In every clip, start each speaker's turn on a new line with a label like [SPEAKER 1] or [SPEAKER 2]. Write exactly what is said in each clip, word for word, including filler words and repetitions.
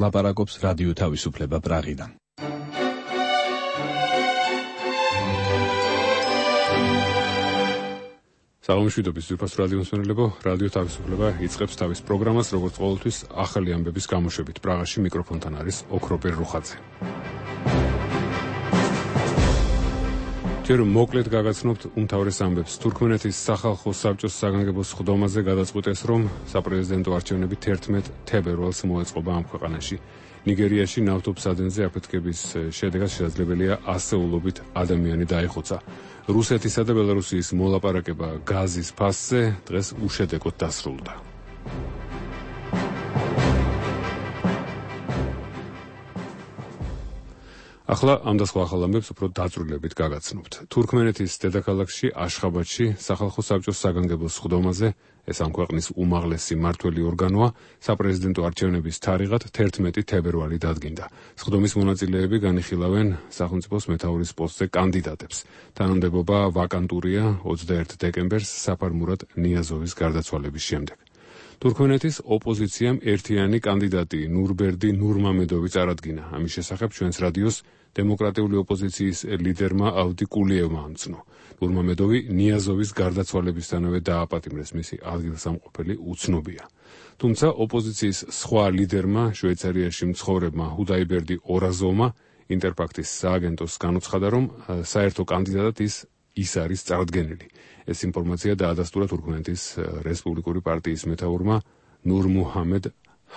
[SPEAKER 1] ლაპარაკობს რადიო თავისუფლება პრაღიდან.
[SPEAKER 2] საღამოშვიდობის ძვირფას რადიო მსმენელებო, რადიო თავისუფლება იწყებს თავის პროგრამას, როგორც ყოველთვის ახალი ამბების გამოშვებით. პრაღაში მიკროფონთან არის ოქროპერ რუხაძე. ჯერ მოკლედ გაგაცნობთ უმთავრეს ამბებს. თურქმენეთის სახალხო საბჭოს საგანგებო სხდომაზე გადაწყვიტეს, რომ საპრეზიდენტო არჩევნები თერთმეტ თებერვალს მოეწყობა ამ ქვეყანაში. ნიგერიაში ნავთობსადენზე აფეთქების შედეგად შესაძლებელია ასეულობით ადამიანი დაიხოცა. რუსეთისა და ბელარუსიის მოლაპარაკება გაზის ფასზე დღეს უშედეგოდ დასრულდა. ახლა ამ და სხვა ახალ ამბებს უფრო დაწვრილებით გაგაცნობთ. თურქმენეთის დედაქალაქში აშხაბადში სახალხო საბჭოს საგანგებო სხდომაზე, ეს ამ ქვეყნის უმაღლესი მმართველი ორგანოა, საპრეზიდენტო არჩევნების თარიღად თერთმეტი თებერვალი დადგინდა. სხდომის მონაწილეები განიხილავენ სახელმწიფოს მეთაურის პოსტზე კანდიდატებს. თანამდებობა ვაკანტურია ოცდაერთი დეკემბერს საფარმურატ ნიაზოვის გარდაცვალების შემდეგ. თურქმენეთის ოპოზიციამ ერთიანი კანდიდატი ნურბერდი ნურმამედოვი წარადგინა. ამის შესახებ ჩვენს რადიოს დემოკრატიული ოპოზიციის ლიდერმა ავდი კულიევმა ამცნო. ნურმამედოვი ნიაზოვის გარდაცვალებისთანავე დააპატიმრეს, მისი ადგილსამყოფელი უცნობია. თუმცა ოპოზიციის სხვა ლიდერმა, შვეიცარიაში მცხოვრებმა ჰუდაიბერდი ორაზოვმა ინტერფაქტის სააგენტოს განუცხადა, რომ საერთო კანდიდატად ის ის არის წარდგენილი. ეს ინფორმაცია დაადასტურა თურქმენეთის რესპუბლიკური პარტიის მეთაურმა ნურმუჰამედ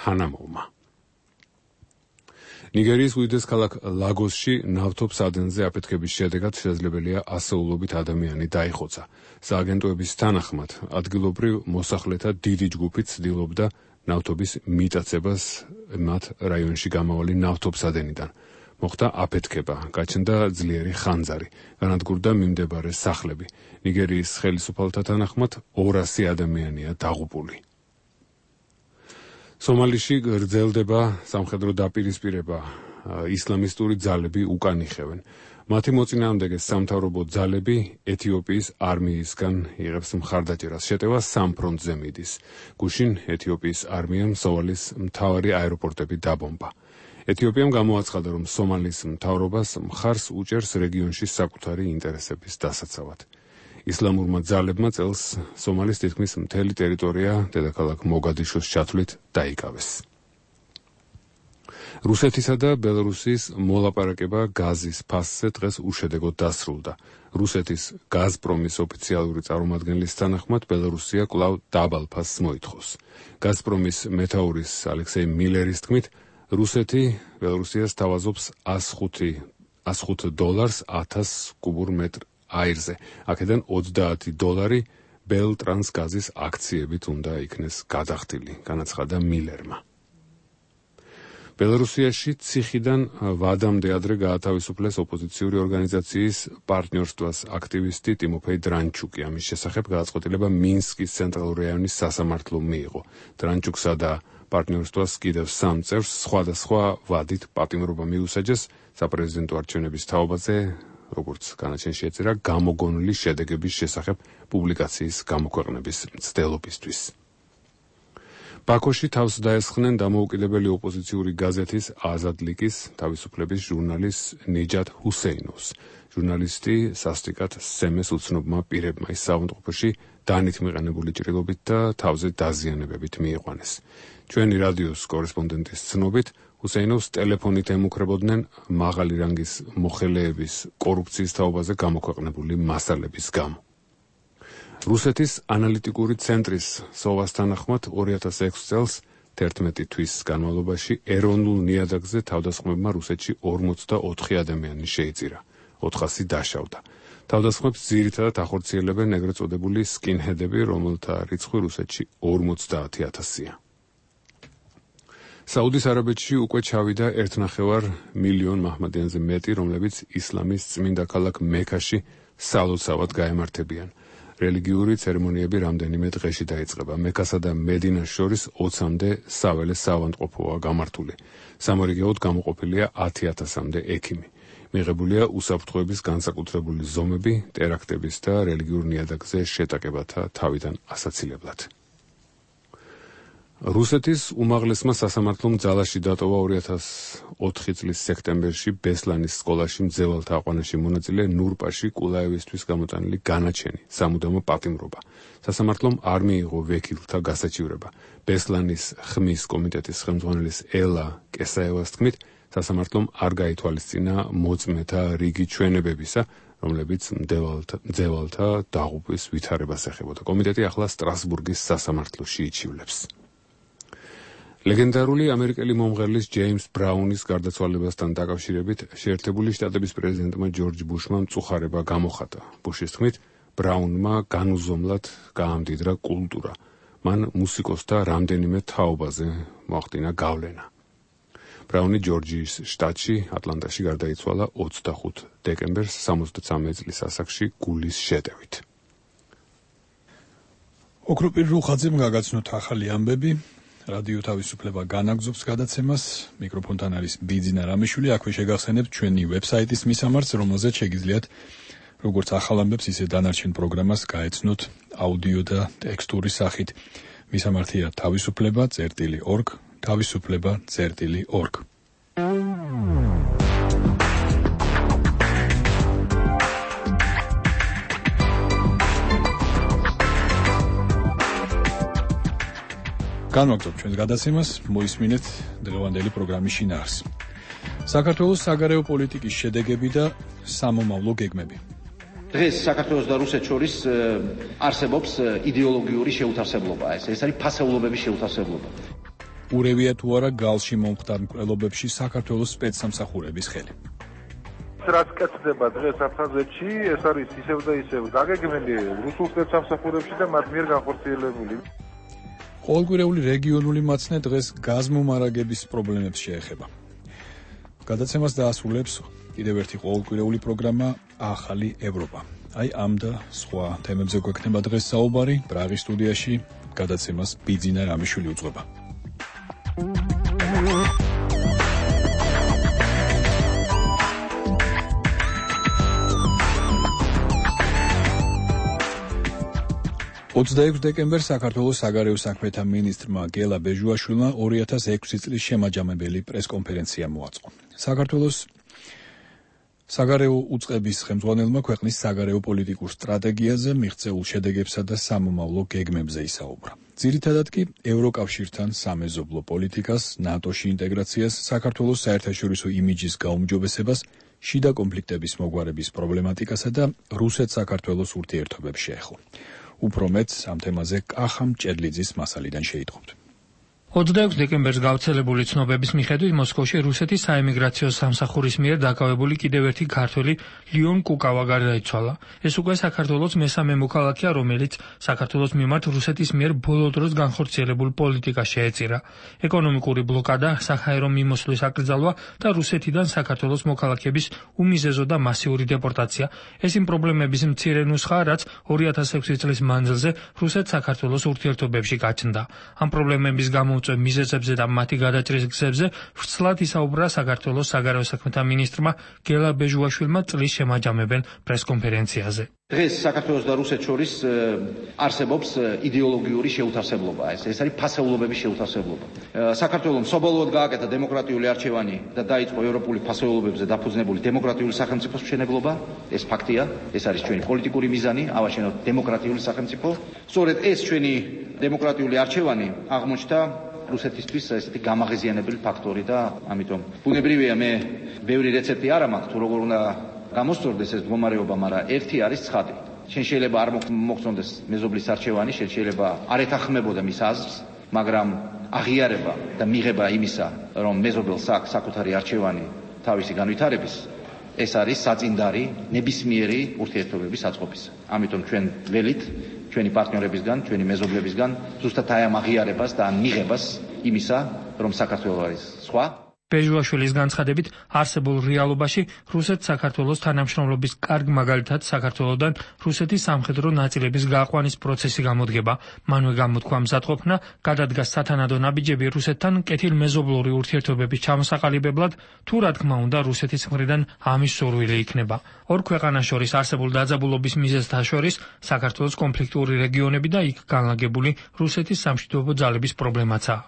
[SPEAKER 2] ჰანამოვმა. ნიგერიის უდიდეს ქალაქ ლაგოსში ნავთობსადენზე აფეთქების შედეგად შესაძლებელია ასეულობით ადამიანი დაიხოცა. სააგენტოების თანახმად, ადგილობრივ მოსახლეთა დიდი ჯგუფი ცდილობდა ნავთობის მიტაცებას მათ რაიონში გამავალი ნავთობსადენიდან. მოხდა აფეთქება, გაჩნდა ძლიერი ხანძარი, განადგურდა მიმდებარე სახლები. ნიგერიის ხელისუფალთა თანახმად ორასი ადამიანია დაღუპული. სომალიში გრძელდება სამხედრო დაპირისპირება, ისლამისტური ძალები უკან იხევენ. მათი მოწინააღმდეგე სამთავრობო ძალები ეთიოპიის არმიისგან იღებს მხარდაჭერას. შეტევა სამ ფრონტზე მიდის. გუშინ ეთიოპიის არმიამ სომალის მთავარი აეროპორტები დაბომბა. ეთიოპიამ გამოაცხადა, რომ სომალის მთავრობას მხარს უჭერს რეგიონში საკუთარი ინტერესების დასაცავად. ისლამურმა ძალებმა წელს სომალის თითქმის მთელი ტერიტორია დედაქალაქ მოგადიშოს ჩათვლით დაიკავეს. რუსეთისა და ბელარუსის მოლაპარაკება გაზის ფასზე დღეს უშედეგოდ დასრულდა. რუსეთის გაზპრომის ოფიციალური წარმომადგენლის თანახმად ბელარუსია კვლავ დაბალ ფასს მოითხოვს. გაზპრომის მეთაურის ალექსეი მილერის თქმით, რუსეთი ბელარუსიას თავაზობს ას ხუთი დოლარს ათას კუბურ მეტრ აირზე. აქედან ოცდაათი დოლარი ბელტრანსგაზის აქციებით უნდა იქნეს გადახდილი, განაცხადა მილერმა. ბელარუსიაში ციხიდან ვადამდე ადრე გაათავისუფლეს ოპოზიციური ორგანიზაციის პარტნიორствоს აქტივისტი ტიმოფეი დრანჩუკი. ამის შესახებ გადაწყვეტილება მინსკის ცენტრალური რაიონის სასამართლომ მიიღო. დრანჩუკსა და პარტნიორствоს კიდევ სამ წევრს სხვადასხვა ვადით პატიმრობა მიუსაჯეს საპრეზიდენტო არჩევნების თაობაზე, როგორც განაჩენში ეწერა, გამოგონილი შედეგების შესახებ პუბლიკაციის გამოქვეყნების მცდელობისთვის. ბაქოში თავს დაესხნენ დამოუკიდებელი ოპოზიციური გაზეთის აზადლიკის თავისუფლების ჟურნალის ნიჯათ ჰუსეინოვს. ჟურნალისტი სასტიკად სემეს უცნობმა პირებმა ის საავადმყოფოში დანით მიყენებული ჭრილობით და თავზე დაზიანებებით მიიყვანეს. ჩვენი რადიოს კორესპონდენტის ცნობით, ჰუსეინოვს ტელეფონით ემუქრებოდნენ მაღალი რანგის მოხელეების კორუფციის თაობაზე გამოქვეყნებული მასალების გამო. რუსეთის ანალიტიკური ცენტრის სოვას თანახმად ორი ათას ექვსი წელს თერთმეტი თვის განმავლობაში ეროვნულ ნიადაგზე თავდასხმებმა რუსეთში ორმოცდაოთხი ადამიანი შეიწირა, ოთხასი დაშავდა. თავდასხმებს ძირითადად ახორციელებენ ეგრეთ წოდებული სკინჰედები, რომელთა რიცხვი რუსეთში ორმოცდაათი ათასია. საუდის არაბეთში უკვე ჩავიდა ერთნახევარ მილიონ მაჰმადიანზე მეტი, რომლებიც ისლამის წმინდა ქალაქ მექაში სალოცავად გაემართებიან. რელიგიური ცერემონიები რამდენიმე დღეში დაიწყება. მექასა და მედინას შორის ოცამდე საველე საავადმყოფოა გამართული. სამორიგეოდ გამოყოფილია ათი ათასამდე ექიმი. მიღებულია უსაფრთხოების განსაკუთრებული ზომები, ტერაქტების და რელიგიურ ნიადაგზე შეტაკებათა თავიდან ასაცილებლად. რუსეთის უმაღლესმა სასამართლომ ძალაში დატოვა ორი ათას ოთხი წლის სექტემბერში ბესლანის სკოლაში მძევალთა აყვანაში მონაწილე ნურპაში კულაევისთვის გამოტანილი განაჩენი სამუდამო პატიმრობა. სასამართლომ არ მიიღო ვექილთა გასაჩივრება. ბესლანის ხმის კომიტეტის ხელმძღვანელის ელა კესაევას თქმით, სასამართლომ არ გაითვალისწინა მოწმეთა რიგი ჩვენებებისა, რომლებიც მძევალთა დაღუპვის ვითარებას ეხებოდა. კომიტეტი ახლა სტრასბურგის სასამართლოში იჩივლებს. ლეგენდარული ამერიკელი მომღერლის ჯეიმს ბრაუნის გარდაცვალებასთან დაკავშირებით შეერთებული შტატების პრეზიდენტმა ჯორჯ ბუშმა მწუხარება გამოხატა. ბუშის თქმით, ბრაუნმა განუზომლად გაამდიდრა კულტურა. მან მუსიკოსთა რამდენიმე თაობაზე მოახდინა გავლენა. ბრაუნი ჯორჯიის შტატში, ატლანტაში გარდაიცვალა ოცდახუთი დეკემბერს სამოცდაცამეტ წლის ასაკში გულის შეტევით.
[SPEAKER 3] ოქროპირ რუხაძემ გაგაცნოთ ახალი ამბები. რადიო თავისუფლება განაგზობს გადაცემას. მიკროფონთან არის ბიძინა რამიშვილი. აქვე შეგახსენებთ ჩვენი ვებსაიტის მისამართს, რომელზეც შეგიძლიათ როგორც ახალ ამბებს, ისე დანარჩენ პროგრამას გაეცნოთ აუდიო და ტექსტური სახით. მისამართია თავისუფლება წერტილი ორგ, თავისუფლება წერტილი ორგ. განვაგრძობთ ჩვენს გადაცემას, მოისმინეთ დღევანდელი პროგრამის შინაარს. საქართველოს საგარეო პოლიტიკის შედეგები და სამომავლო გეგმები.
[SPEAKER 4] დღეს საქართველოს და რუსეთს შორის არსებობს იდეოლოგიური შეუთავსებლობა, ეს ეს არის ფასეულობების შეუთავსებლობა.
[SPEAKER 3] ურევია თუ არა გალში მომხდარ მკვლელობებში საქართველოს სპეცსამსახურების ხელი.
[SPEAKER 5] რაც კეთდება დღეს აფხაზეთში, ეს არის ისევ და ისევ დაგეგმილი რუსულ სპეცსამსახურებში და მათ მიერ განხორციელებული.
[SPEAKER 3] ყოველკვირეული რეგიონული მაცნე დღეს გაზმომარაგების პრობლემებს შეეხება. გადაცემას დაასრულებს კიდევ ერთი ყოველკვირეული პროგრამა ახალი ევროპა. აი ამ და სხვა თემებზე გვექნება დღეს საუბარი. პრაღის სტუდიაში გადაცემას ბიძინა რამიშვილი უძღვება. ოცდაექვსი დეკემბერს საქართველოს საგარეო საქმეთა მინისტრმა გელა ბეჟუაშვილმა ორი ათას ექვსი წლის შემაჯამებელი პრესკონფერენცია მოაწყო. საქართველოს საგარეო უწყების ხელმძღვანელმა ქვეყნის საგარეო პოლიტიკურ სტრატეგიაზე, მიღწეულ შედეგებსა და სამომავლო გეგმებზე ისაუბრა. ძირითადად კი ევროკავშირთან სამეზობლო პოლიტიკას, ნატოში ინტეგრაციას, საქართველოს საერთაშორისო იმიჯის გაუმჯობესებას, შიდა კონფლიქტების მოგვარების პრობლემატიკასა და რუსეთ-საქართველოს ურთიერთობებს შეეხო. უფრო მეც ამ თემაზე კახა მჭედლიძის მასალიდან შეიტყობთ.
[SPEAKER 6] ოცდაექვსი დეკემბერს გავრცელებული ცნობების მიხედვით მოსკოვში რუსეთის საემიგრაციო სამსახურის მიერ დაკავებული კიდევ ერთი ქართველი ლიონ კუკავა გარდაიცვალა. ეს უკვე საქართველოს მესამე მოქალაქეა, რომელიც საქართველოს მიმართ რუსეთის მიერ ბოლო დროს განხორციელებულ პოლიტიკას შეეწირა. ეკონომიკური ბლოკადა, საჰაერო მიმოსვლის აკრძალვა და რუსეთიდან საქართველოს მოქალაქეების უმიზეზო და მასიური დეპორტაცია. ეს იმ პრობლემების მცირე ნუსხაა, რაც ორი ათას ექვსი წლის მანძილზე რუსეთ-საქართველოს ურთიერთობებში გაჩნდა. ამ პრობლემების გამო მიზეზებზე და მათი გადაჭრის გზებზე ვრცლად ისაუბრა საქართველოს საგარეო საქმეთა მინისტრმა გელა ბეჟუაშვილმა წლის შემაჯამებელ პრესკონფერენციაზე.
[SPEAKER 4] დღეს საქართველოს და რუსეთს შორის არსებობს იდეოლოგიური შეუთავსებლობა, ეს ეს არის ფასეულობების შეუთავსებლობა. საქართველოს საბოლოოდ გააკეთა დემოკრატიული არჩევანი და დაიწყო ევროპული ფასეულობებზე დაფუძნებული დემოკრატიული სახელმწიფოს მშენებლობა, ეს ფაქტია, ეს არის ჩვენი პოლიტიკური მიზანი, ავაშენოთ დემოკრატიული სახელმწიფო. სწორედ ეს ჩვენი დემოკრატიული არჩევანი აღმოჩნდა რუსეთისთვის ესეთი გამაღიზიანებელი ფაქტორი და ამიტომ ბუნებრივია მე ბევრი რეცეპტი არ მაქვს თუ როგორ უნდა გამოსწორდეს ეს მდგომარეობა, მაგრამ ერთი არის ცხადი. შენ შეიძლება არ მოგწონდეს მეზობლის არჩევანი, შენ შეიძლება არ ეთანხმებოდა მის აზრს, მაგრამ აღიარება და მიღება იმისა, რომ მეზობელს აქვს საკუთარი არჩევანი თავისი განვითარების, ეს არის საწინდარი ნებისმიერი ურთიერთობების აწყობისა. ამიტომ ჩვენ ველით ჩვენი პარტნიორებისგან, ჩვენი მეზობლებისგან ზუსტად აი ამ აღიარებას და ამ მიღებას იმისა, რომ საქართველოს არის სხვა
[SPEAKER 6] ბეჟუაშვილის განცხადებით, არსებულ რეალობაში რუსეთს საქართველოს თანამშრომლობის კარგ მაგალითად საქართველოსთან რუსეთის სამხედრო ნაწილების გააყვანის პროცესი გამოდგება. მანვე გამოთქვა მზადყოფნა, გადადგა სათანადო ნაბიჯები რუსეთთან კეთილმეზობლური ურთიერთობების ჩამოსაყალიბებლად, თუ რა თქმა უნდა რუსეთის მხრიდან ამის სურვილი იქნება. ორ ქვეყანას შორის არსებულ დაძაბულობის მიზეზთა შორის საქართველოს კონფლიქტური რეგიონები და იქ განლაგებული რუსეთის სამშვიდობო ძალების პრობლემაცაა.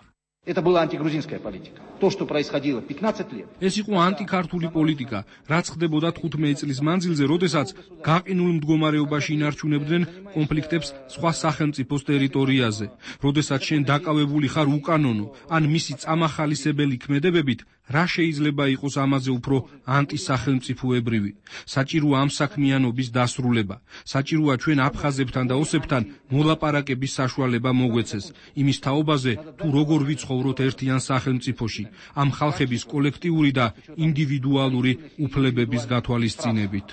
[SPEAKER 4] Это была антигрузинская политика. То, что происходило пятнадцать лет.
[SPEAKER 7] ეს იყო ანტიქართული პოლიტიკა, რაც ხდებოდა თხუთმეტი წლის მანძილზე, როდესაც გაყინულ მდგომარეობაში ინარჩუნებდნენ კონფლიქტებს სხვა სახელმწიფოს ტერიტორიაზე. როდესაც შენ დაკავებული ხარ უკანონო ან მისი წამახალისებელი ქმედებებით, რა შეიძლება იყოს ამაზე უფრო ანტისახელმწიფოებრივი? საჭიროა ამ საქმიანობის დასრულება. საჭიროა ჩვენ აფხაზებთან და ოსებთან მოლაპარაკების საშუალება მოგვეცეს. იმის თაობაზე, თუ როგორ ვიცხოვროთ ერთიან სახელმწიფოში, ამ ხალხების კოლექტიური და ინდივიდუალური უფლებების გათვალისწინებით.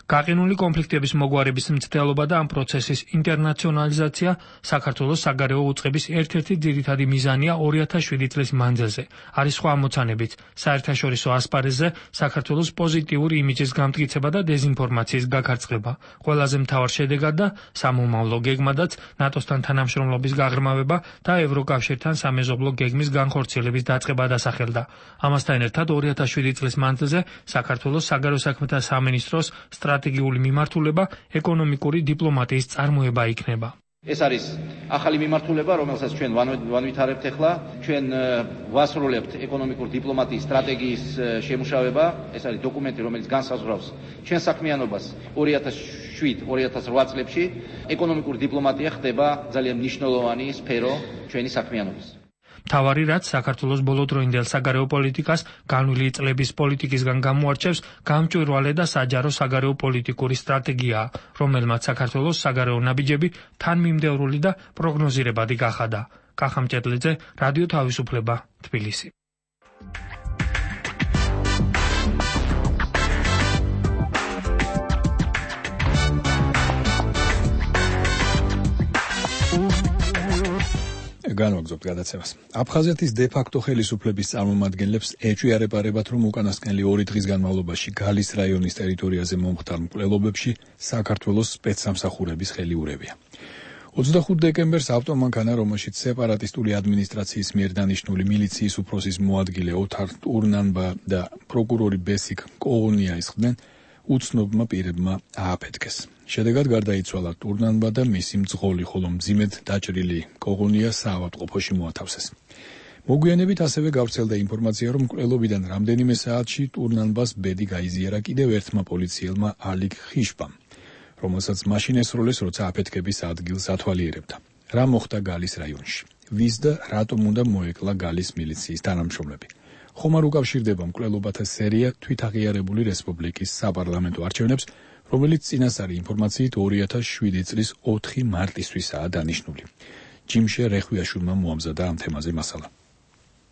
[SPEAKER 6] გაყინული კონფლიქტების მოგვარების მცდელობა და ამ პროცესის ინტერნაციონალიზაცია საქართველოს საგარეო უწყების ერთ-ერთი ძირითადი მიზანია ორი ათას შვიდი წლის მანძილზე. არის სხვა ამოცანებიც, საერთაშორისო ასპარეზზე საქართველოს პოზიტიური იმიჯის გამტკიცება და დეზინფორმაციის გაქარწყლება. ყველაზე მთავარ შედეგად და სამომავლო გეგმადაც ნატოსთან თანამშრომლობის გაღრმავება და ევროკავშირთან სამეზობლო გეგმის განხორციელების დაწყება დასახელდა. ამასთან ერთად ორი ათას შვიდი წლის მანძილზე საქართველოს საგარეო საქმეთა სამინისტროს სტრატეგიული მიმართულება ეკონომიკური დიპლომატიის წარმოება იქნება.
[SPEAKER 4] ეს არის ახალი მიმართულება, რომელსაც ჩვენ ვანვითარებთ ახლა. ჩვენ ვასრულებთ ეკონომიკური დიპლომატიის სტრატეგიის შემუშავება. ეს არის დოკუმენტი, რომელიც განსაზღვრავს ჩვენ საქმიანობას ორი ათას შვიდ ორი ათას რვა წლებში. ეკონომიკური დიპლომატია ხდება ძალიან მნიშვნელოვანი სფერო ჩვენი საქმიანობის.
[SPEAKER 6] მთავარი რაც საქართველოს ბოლოდროინდელ საგარეო პოლიტიკას განვლილი წლების პოლიტიკისგან გამოარჩევს გამჭვირვალე და საჯარო საგარეო პოლიტიკური სტრატეგიაა, რომელმაც საქართველოს საგარეო ნაბიჯები თანმიმდევრული და პროგნოზირებადი გახადა. კახა მჭედლიძე, რადიო თავისუფლება, თბილისი.
[SPEAKER 3] განვაგრძობთ გადაცემას. აფხაზეთის დე-ფაქტო ხელისუფლების წარმომადგენლებს ეჭვიარებარებათ, რომ უკანასკნელი ორი დღის განმავლობაში გალის რაიონის ტერიტორიაზე მომხდარ მკვლელობებში საქართველოს სპეცსამსახურების ხელი ურევია. ოცდახუთ დეკემბერს ავტომანქანა, რომელშიც სეპარატისტული ადმინისტრაციის მიერ დანიშნული მილიციის უფროსის მოადგილე ოთარ ტურნანბა და პროკურორი ბესიკ კოღონია ისხდნენ, უცნობმა პირებმა ააფეთქეს. შედეგად გარდაიცვალა ტურნანბა და მისი მძღოლი, ხოლო მძიმედ დაჭრილი კოღონია საავადმყოფოში მოათავსეს. მოგვიანებით ასევე გავრცელდა ინფორმაცია, რომ მკვლელობიდან რამდენიმე საათში ტურნანბას ბედი გაიზიარა კიდევ ერთმა პოლიციელმა ალიგ ხიშბამ, რომელსაც მაშინ ესროლეს, როცა აფეთქების ადგილს ათვალიერებდა. რა მოხდა გალის რაიონში? ვის და რატომ უნდა მოეკლა გალის მილიციის თანამშრომლები? ხომ არ უკავშირდება მკვლელობათა სერია თვითაღიარებული რესპუბლიკის საპარლამენტო არჩევნებს, რომელიც წინასწარი ინფორმაციით ორი ათას შვიდი წლის ოთხი მარტისთვისაა დანიშნული. ჯიმშე რეხვიაშვილმა მოამზადა ამ თემაზე მასალა.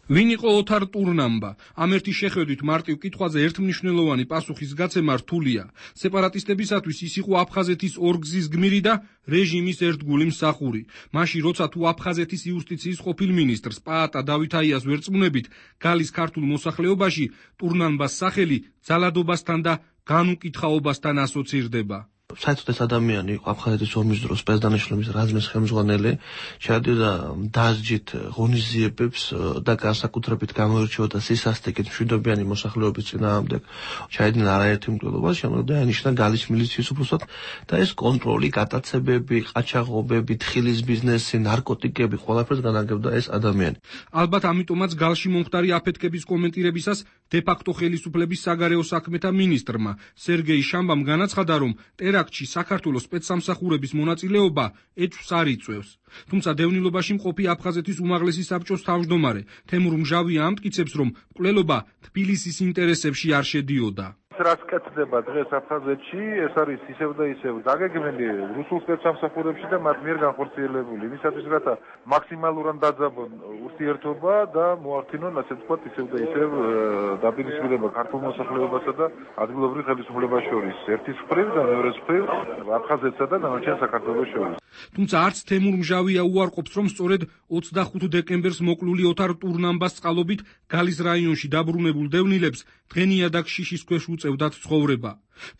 [SPEAKER 7] ვინ იყო ოთარ ტურნანბა? ამ ერთი შეხედვით მარტივ კითხვაზე ერთმნიშვნელოვანი პასუხის გაცემა რთულია. სეპარატისტებისათვის ის იყო აფხაზეთის ორგზის გმირი და რეჟიმის ერთგული მსახური. მაშინ როცა თუ აფხაზეთის იუსტიციის ყოფილ მინისტრს პაატა დავითაიას ვერწმუნებით, გალის ქართულ მოსახლეობაში ტურნანბას სახელი ძალადობასთან და განუკითხაობასთან ასოცირდება.
[SPEAKER 8] საერთოდ ეს ადამიანი იყო აფხაზეთის ომის დროს სპეცდანიშნულების რაზმის ხელმძღვანელი, შეადიოდა დასჯით ღონისძიებებს და განსაკუთრებით გამოირჩეოდა სისასტიკით მშვიდობიანი მოსახლეობის წინააღმდეგ. ჩაედინა არაერთი მკვლელობა, შემდგომ დაინიშნა გალის მილიციის უფროსად და ეს კონტროლი, გატაცებები, ყაჩაღობები, თხილის ბიზნესი, ნარკოტიკები, ყველაფერს განაგებდა ეს ადამიანი.
[SPEAKER 7] ალბათ ამიტომაც გალში მომხდარი აფეთქების კომენტირებისას დე-ფაქტო ხელისუფლების საგარეო საქმეთა მინისტრმა სერგეი შამბამ განაცხადა, რომ ტერაქტში საქართველოს სპეცსამსახურების მონაწილეობა ეჭვს არ იწვევს. თუმცა დევნილობაში მყოფი აფხაზეთის უმაღლესი საბჭოს თავმჯდომარე თემურ მჟავია ამტკიცებს, რომ მკვლელობა თბილისის ინტერესებში არ შედიოდა.
[SPEAKER 5] რაც კეთდება დღეს აფხაზეთში, ეს არის ისევ და ისევ დაგეგმილი რუსულ სპეცსამსახურებში და მათ მიერ განხორციელებული. იმისათვის, რათა მაქსიმალურად დაძაბონ ურთიერთობა და მოახდინონ, ასე ვთქვათ, ისევ და ისევ დაპირისპირება ქართულ მოსახლეობასა და ადგილობრივ ხელისუფლებას შორის. ერთის მხრივ და მეორეს მხრივ აფხაზეთსა და დანარჩენ საქართველოს შორის.
[SPEAKER 7] თუმცა არც თემურ მჟავია უარყოფს, რომ სწორედ ოცდახუთი დეკემბერს მოკლული ოთარ ტურნამბას წყალობით გალის რაიონში დაბრუნებულ დევნილებს დღენიაдаг შიშის ქვეშ უწევდათ ცხოვრება.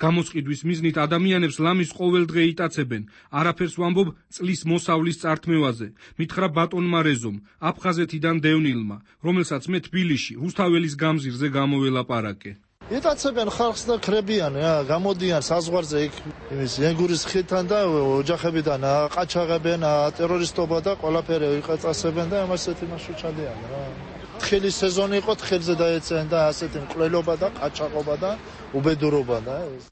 [SPEAKER 7] გამოსყიდვის მიზნით ადამიანებს ლამის ყოველდღე იტაცებენ. არაფერს ვამბობ წლის მოსავლის წართმევაზე. მითხრა ბატონმა რეზომ, აფხაზეთიდან დევნილმა, რომელსაც მე თბილისში, რუსთაველის გამზირზე გამოველაპარაკე.
[SPEAKER 9] იტაცებენ ხალხს და ხრებიან, გამოდიან საზღვარზე იქ იმის ენგურის ხიდან და ოჯახებიდან ყაჩაღებენ, ტერორისტობა და ყველაფერი იყეწასებენ და ამასეთი მასუჩადიან რა. თხილი სეზონი იყო, თხილზე დაეწენ და ასეთი მკვლელობა და ყაჩაღობა და უბედურობა და ეს.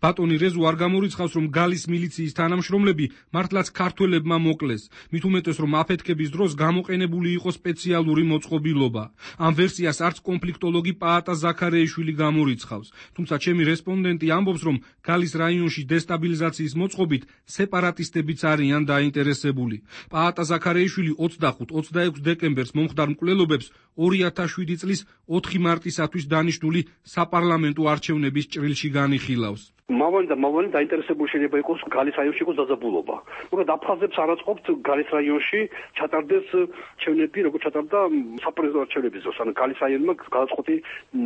[SPEAKER 7] ბატონი რეზო არ გამორიცხავს, რომ გალის მილიციის თანამშრომლები მართლაც ქართველებმა მოკლეს. მით უმეტეს, რომ აფეთქების დროს გამოყენებული იყო სპეციალური მოწყობილობა. ამ ვერსიას არც კონფლიქტოლოგი პაატა ზაქარეიშვილი გამორიცხავს. თუმცა ჩემი რესპონდენტი ამბობს, რომ გალის რაიონში დესტაბილიზაციის მოწყობით სეპარატისტებიც არიან დაინტერესებული. პაატა ზაქარეიშვილი ოცდახუთ ოცდაექვსი დეკემბერს მომხდარ მკვლელობებს ორი ათას შვიდი წლის ოთხი მარტისათვის დანიშნული საპარლამენტო არჩევნების ჭრილში განიხილავს.
[SPEAKER 10] მავალი და მავალი დაინტერესებული შეიძლება იყოს გალის რაიონში იყოს დაძაბულობა. უბრალოდ აფხაზებს არ აწყობთ გალის რაიონში ჩატარდეს არჩევნები, როგორც ჩატარდა საპრეზიდენტო არჩევნების დროს. ანუ გალის რაიონმა გადაწყვეტი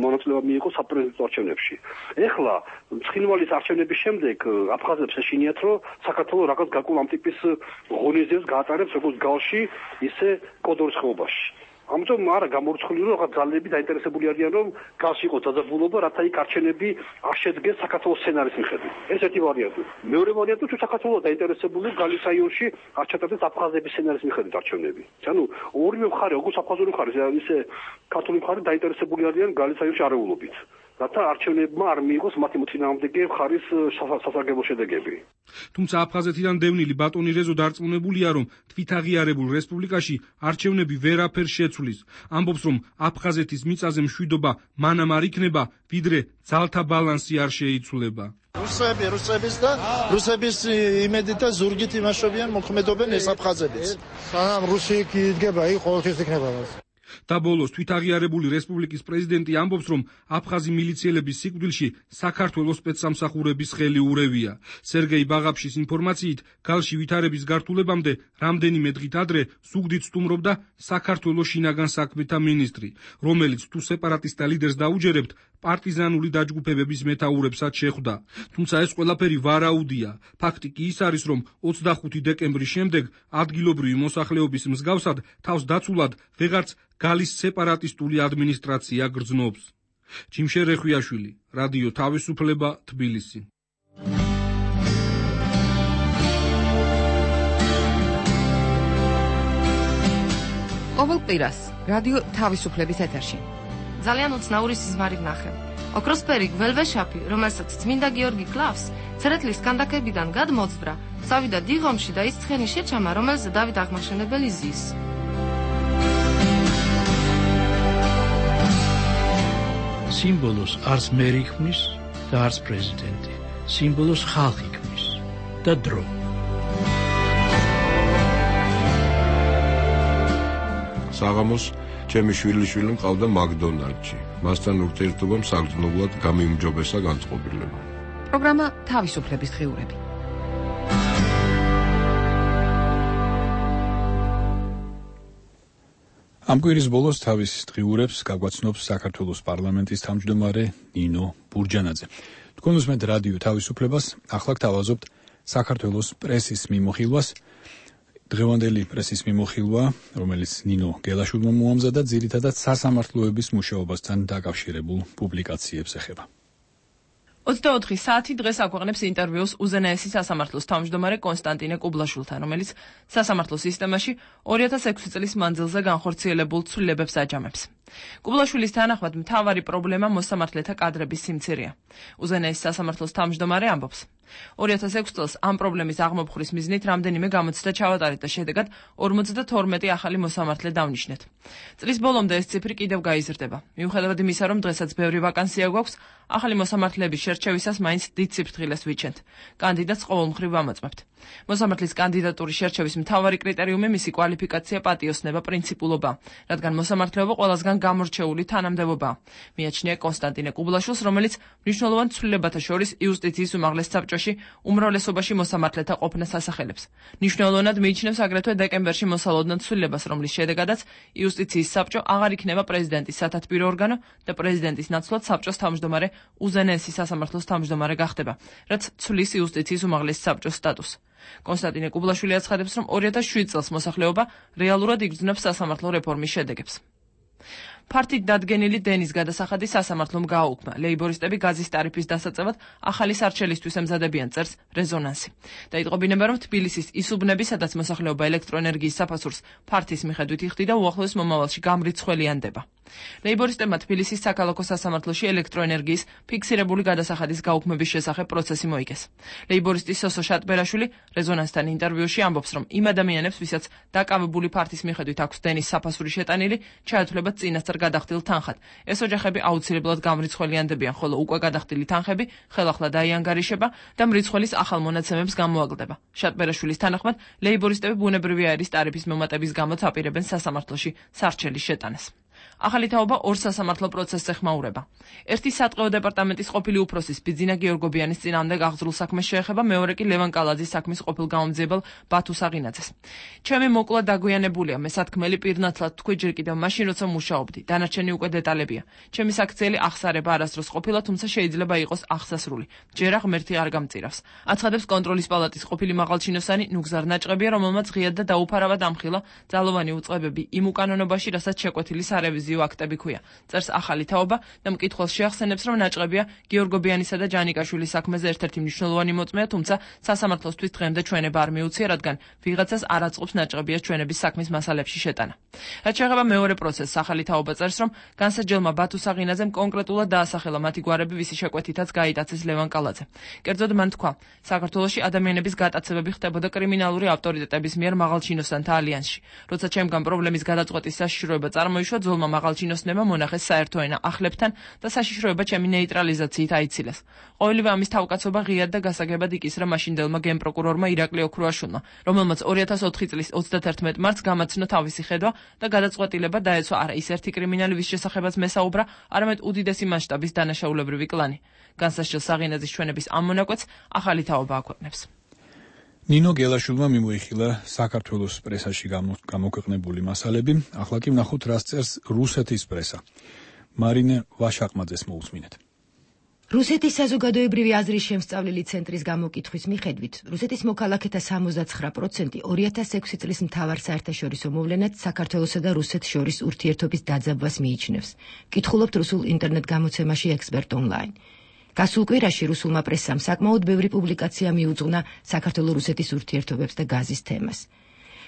[SPEAKER 10] მონაწილეობა მიიღო საპრეზიდენტო არჩევნებში. ეხლა ცხინვალის არჩევნების შემდეგ აფხაზებს ეშინიათ, რომ საქართველოს რაღაც გაკულ ამ ტიპის ღონისძიებას გაატარებს როგორც გალში, ისე კოდორის ხეობაში. ამიტომ არა გამორიცხული რომ რაღაც ძალები დაინტერესებული არიან რომ გალში იყოს დაძაბულობა, რათა იქ არჩევნები არ შედგეს საქართველოს სცენარის მიხედვით. ეს ერთი ვარიანტი. მეორე ვარიანტი თუ საქართველოს დაინტერესებული გალის რაიონში არ ჩატარდეს აფხაზების სცენარის მიხედვით არჩევნები. ანუ ორივე მხარე, როგორც აფხაზური მხარე, ისე ქართული მხარე დაინტერესებული არიან გალის რაიონში არეულობით. რათა არჩევნებმა არ მიიღოს მათი მოწინააღმდეგე მხარის სასარგებლო შედეგები.
[SPEAKER 7] თუმცა აფხაზეთიდან დევნილი ბატონი რეზო დარწმუნებულია, რომ თვითაღიარებულ რესპუბლიკაში არჩევნები ვერაფერ შეცვლის. ამბობს, რომ აფხაზეთის მიწაზე მშვიდობა მანამ არ იქნება, ვიდრე ძალთა ბალანსი არ შეიცვლება.
[SPEAKER 9] რუსები, რუსების და რუსების იმედით და ზურგით იმაშობიან მოქმედობენ ეს აფხაზებიც.
[SPEAKER 11] სანამ რუსი იდგება, იქ ყოველთვის იქნება მას.
[SPEAKER 7] და ბოლოს თვითაღიარებული რესპუბლიკის პრეზიდენტი ამბობს, რომ აფხაზი მილიციელების სიკვდილში საქართველოს სპეცსამსახურების ხელი ურევია. სერგეი ბაღაფშის ინფორმაციით, გალში ვითარების გართულებამდე რამდენიმე დღით ადრე ზუგდიდ სტუმრობდა საქართველოს შინაგან საქმეთა მინისტრი, რომელიც თუ სეპარატისტთა ლიდერს დაუჯერებთ, პარტიზანული დაჯგუფებების მეთაურებსაც შეხვდა. თუმცა ეს ყველაფერი ვარაუდია. ფაქტი კი ის არის, რომ ოცდახუთი დეკემბრის შემდეგ ადგილობრივი მოსახლეობის მსგავსად თავს დაცულად ვეღარც გალის სეპარატისტული ადმინისტრაცია გრძნობს. ჯიმშე რეხვიაშვილი, რადიო თავისუფლება, თბილისი.
[SPEAKER 12] ყოველ კვირას რადიო თავისუფლების ეთერში.
[SPEAKER 13] ძალიან უცნაური სიზმარი ვნახე. ოქროსფერი გველვეშაპი, რომელსაც წმინდა გიორგი კლავს, ცერეთლის კანდაკებიდან გადმოძვრა, წავიდა დიღომში და ის ცხენი შეჩამა, რომელზე დავით აღმაშენებელი ზის.
[SPEAKER 14] სიმბოლოს არც მერი ქმნის და არც პრეზიდენტი. სიმბოლოს ხალხი ქმნის და დრო.
[SPEAKER 15] საღამოს ჩემი შვილიშვილი მყავდა მაკდონალდში. მასთან ურთიერთობამ საგრძნობლად გამიმჯობესა განწყობილება.
[SPEAKER 12] პროგრამა თავისუფლების დღიურები.
[SPEAKER 3] ამ კვირის ბოლოს თავის დღიურებს გაგვაცნობს საქართველოს პარლამენტის თავმჯდომარე ნინო ბურჯანაძე. თქვენ უსმენთ რადიო თავისუფლებას, ახლა გთავაზობთ საქართველოს პრესის მიმოხილვას. დღევანდელი პრესის მიმოხილვა, რომელიც ნინო გელაშვილმა მოამზადა, ძირითადად სასამართლოების მუშაობასთან დაკავშირებულ პუბლიკაციებს ეხება.
[SPEAKER 16] ოცდაოთხი საათი დღეს აქვეყნებს ინტერვიუს უზენაესი სასამართლოს თავმჯდომარე კონსტანტინე კუბლაშვილთან, რომელიც სასამართლო სისტემაში ორი ათას ექვსი წლის მანძილზე განხორციელებულ ცვლილებებს აჯამებს. კუბლაშვილის თანახმად მთავარი პრობლემა მოსამართლეთა კადრების სიმცირეა. უზენაეს სასამართლოს თავმჯდომარე ამბობს. ორი ათას ექვსი წელს ამ პრობლემის აღმოფხვრის მიზნით რამდენიმე გამოცდა ჩავატარეთ და შედეგად ორმოცდათორმეტი ახალი მოსამართლე დავნიშნეთ. წლის ბოლომდე ეს ციფრი კიდევ გაიზრდება. მიუხედავად იმისა, რომ დღესაც ბევრი ვაკანსია გვაქვს, ახალი მოსამართლეების შერჩევისას მაინც დიდ სიფრთხილეს ვიჩენთ. კანდიდატს ყოველმხრივ ვამოწმებთ. მოსამართლის კანდიდატურის შერჩევის მთავარი კრიტერიუმი მისი კვალიფიკაცია, პატიოსნება, პრინციპულობა, რადგან მოსამართლეობა ყველასგან გამორჩეული თანამდებობაა. მიაჩნია კონსტანტინე კუბლაშვილს, რომელიც მნიშვნელოვან ცვლილებათა შორის იუსტიციის უმაღლეს საბჭოში უმრავლესობაში მოსამართლეთა ყოფნას ასახელებს. მნიშვნელოვნად მიიჩნევს აგრეთვე დეკემბერში მოსალოდნელ ცვლილებას, რომლის შედეგადაც იუსტიციის საბჭო აღარ იქნება პრეზიდენტის სათათბირო ორგანო და პრეზიდენტის ნაცვლად საბჭოს თავმჯდომარე უზენაესი სასამართლოს თავმჯდომარე გახდება, რაც ცვლის იუსტიციის უმაღლეს საბჭოს სტატუსს. კონსტანტინე კუბლაშვილი აცხადებს, რომ ორი ათას შვიდ წელს მოსახლეობა რეალურად იგრძნობს სასამართლო რეფორმის შედეგებს. ფართით დადგენილი დენის გადასახადი სასამართლომ გააუქმა. ლეიბორისტები გაზის ტარიფის დასაწევად ახალი სარჩელისთვის ემზადებიან, წერს რეზონანსი. დაიწყო ბინება, რომ თბილისის ისუბნები, სადაც მოსახლეობა ელექტროენერგიის საფასურს ფართის მიხედვით იხდიდა, უახლოეს მომავალში გამრიცხველიანდება. ლეიბორისტებმა თბილისის საქალაქო სასამართლოში ელექტროენერგიის ფიქსირებული გადასახადის გაუქმების შესახებ პროცესი მოიგეს. ლეიბორისტი სოსო შატბერაშვილი რეზონანსთან ინტერვიუში ამბობს, რომ იმ ადამიანებს, ვისაც დაკავებული ფართის მიხედვით აქვს დენის საფასური შეტანილი, ჩაეთვლებათ წინასწარ გადახდილ თანხად. ეს ოჯახები აუცილებლად გამრიცხველიანდებიან, ხოლო უკვე გადახდილი თანხები ხელახლა დაიანგარიშება და მრიცხველის ახალ მონაცემებს გამოაგლდება. შატბერაშვილის თანახმად, ლეიბორისტები ბუნებრივი აირის ტარიფის მომატების გამოც აპირებენ სასამართლოში სარჩელის შეტანას. ახალი თაობა ორ სასამართლო პროცესს ეხმაურება. ერთი სატყეო დეპარტამენტის ყოფილი უფროსის ბიძინა გეორგობიანის წინააღმდეგ აღძრულ საქმეს შეეხება, მეორე კი ლევან კალაძის საქმის ყოფილ გაუმძიებელ ბათუ საღინაძეს. ჩემი მოკლა დაგვიანებულია, მე სათქმელი პირნათლად თქვი ჯერ კიდევ მაშინ, როცა მუშაობდი. დანარჩენი უკვე დეტალებია. ჩემი საქციელი აღსარება არასდროს ყოფილა, თუმცა შეიძლება იყოს აღსასრული. ჯერა ღმერთი არ გამწირავს. აცხადებს კონტროლის პალატის ყოფილი მაღალჩინოსანი ნუგზარ ნაჭყებია, რომელმაც ღიად და დაუფარავად ამხილა ძალოვანი უწყებები იმ უკანონობაში, რასაც შეკვეთილი სარევიზიო აქტები ქვია. წერს ახალი თაობა და მკითხველს შეახსენებს, რომ ნაჭყებია გეორგობიანისა და ჯანიკაშვილის საქმეზე ერთ-ერთი მნიშვნელოვანი მოწმეა, თუმცა სასამართლოსთვის დღემდე ჩვენება არ მიუცია, რადგან ვიღაცას არ აწყობს ნაჭყებიას ჩვენების საქმის მასალებში შეტანა. რაც შეეხება მეორე პროცესს, ახალი თაობა წერს, რომ განსაჯელმა ბათუ საღინაძემ კონკრეტულად დაასახელა მათი გვარები, ვისი შეკვეთითაც გაიტაცეს ლევან კალაძე. კერძოდ მან თქვა, საქართველოში ადამიანების გატაცებები ხდებოდა კრიმინალური ავტორიტეტების მიერ მაღალჩინოსანთა ალიანსში. როცა ჩემგან პრობლემის გადაწყვეტის საშიშროება წარმოიშვა, ძოლმა მაღალჩინოსნებმა მონახეს საერთო ენა ახლებთან და საშიშროება ჩემი ნეიტრალიზაციით აიცილეს. ყოველივე ამის თავკაცობა ღიად და გასაგებად იკისრა მაშინდელმა გენპროკურორმა ირაკლი ოქრუაშვილმა, რომელმაც ორი ათას ოთხი წლის ოცდათერთმეტ მარტს გამაცნო თავისი ხედვა და გადაწყვეტილება დაეცვა არა ის ერთი კრიმინალი, ვის შესახებაც მესაუბრა, არამედ უდიდესი მასშტაბის დანაშაულებრივი კლანი. განსასჯელ საღინაძის ჩვენების ამ მონაკვეთს ახალი თაობა აქვეყნებს.
[SPEAKER 3] ნინო გელაშვილმა მიმოიხილა საქართველოს პრესაში გამოქვეყნებული მასალები, ახლა კი ვნახოთ, რას წერს რუსეთის პრესა. მარინე ვაშაყმაძეს მოусმინეთ.
[SPEAKER 17] რუსეთის საზოგადოებრივი აზრის შემსწავლელი ცენტრის გამოკითხვის მიხედვით, რუსეთის მოქალაქეთა სამოცდაცხრა პროცენტი ორი ათას ექვსი წლის მთავარ საერთაშორისო მოვლენად საქართველოსა და რუსეთს შორის ურთიერთობის დაძაბვას მიიჩნევს. კითხულობთ რუსულ ინტერნეტ გამოცემაში ექსპერტ ონლაინ. გასულ კვირაში რუსულმა პრესამ საკმაოდ ბევრი პუბლიკაცია მიუძღვნა საქართველო-რუსეთის ურთიერთობებს და გაზის თემას.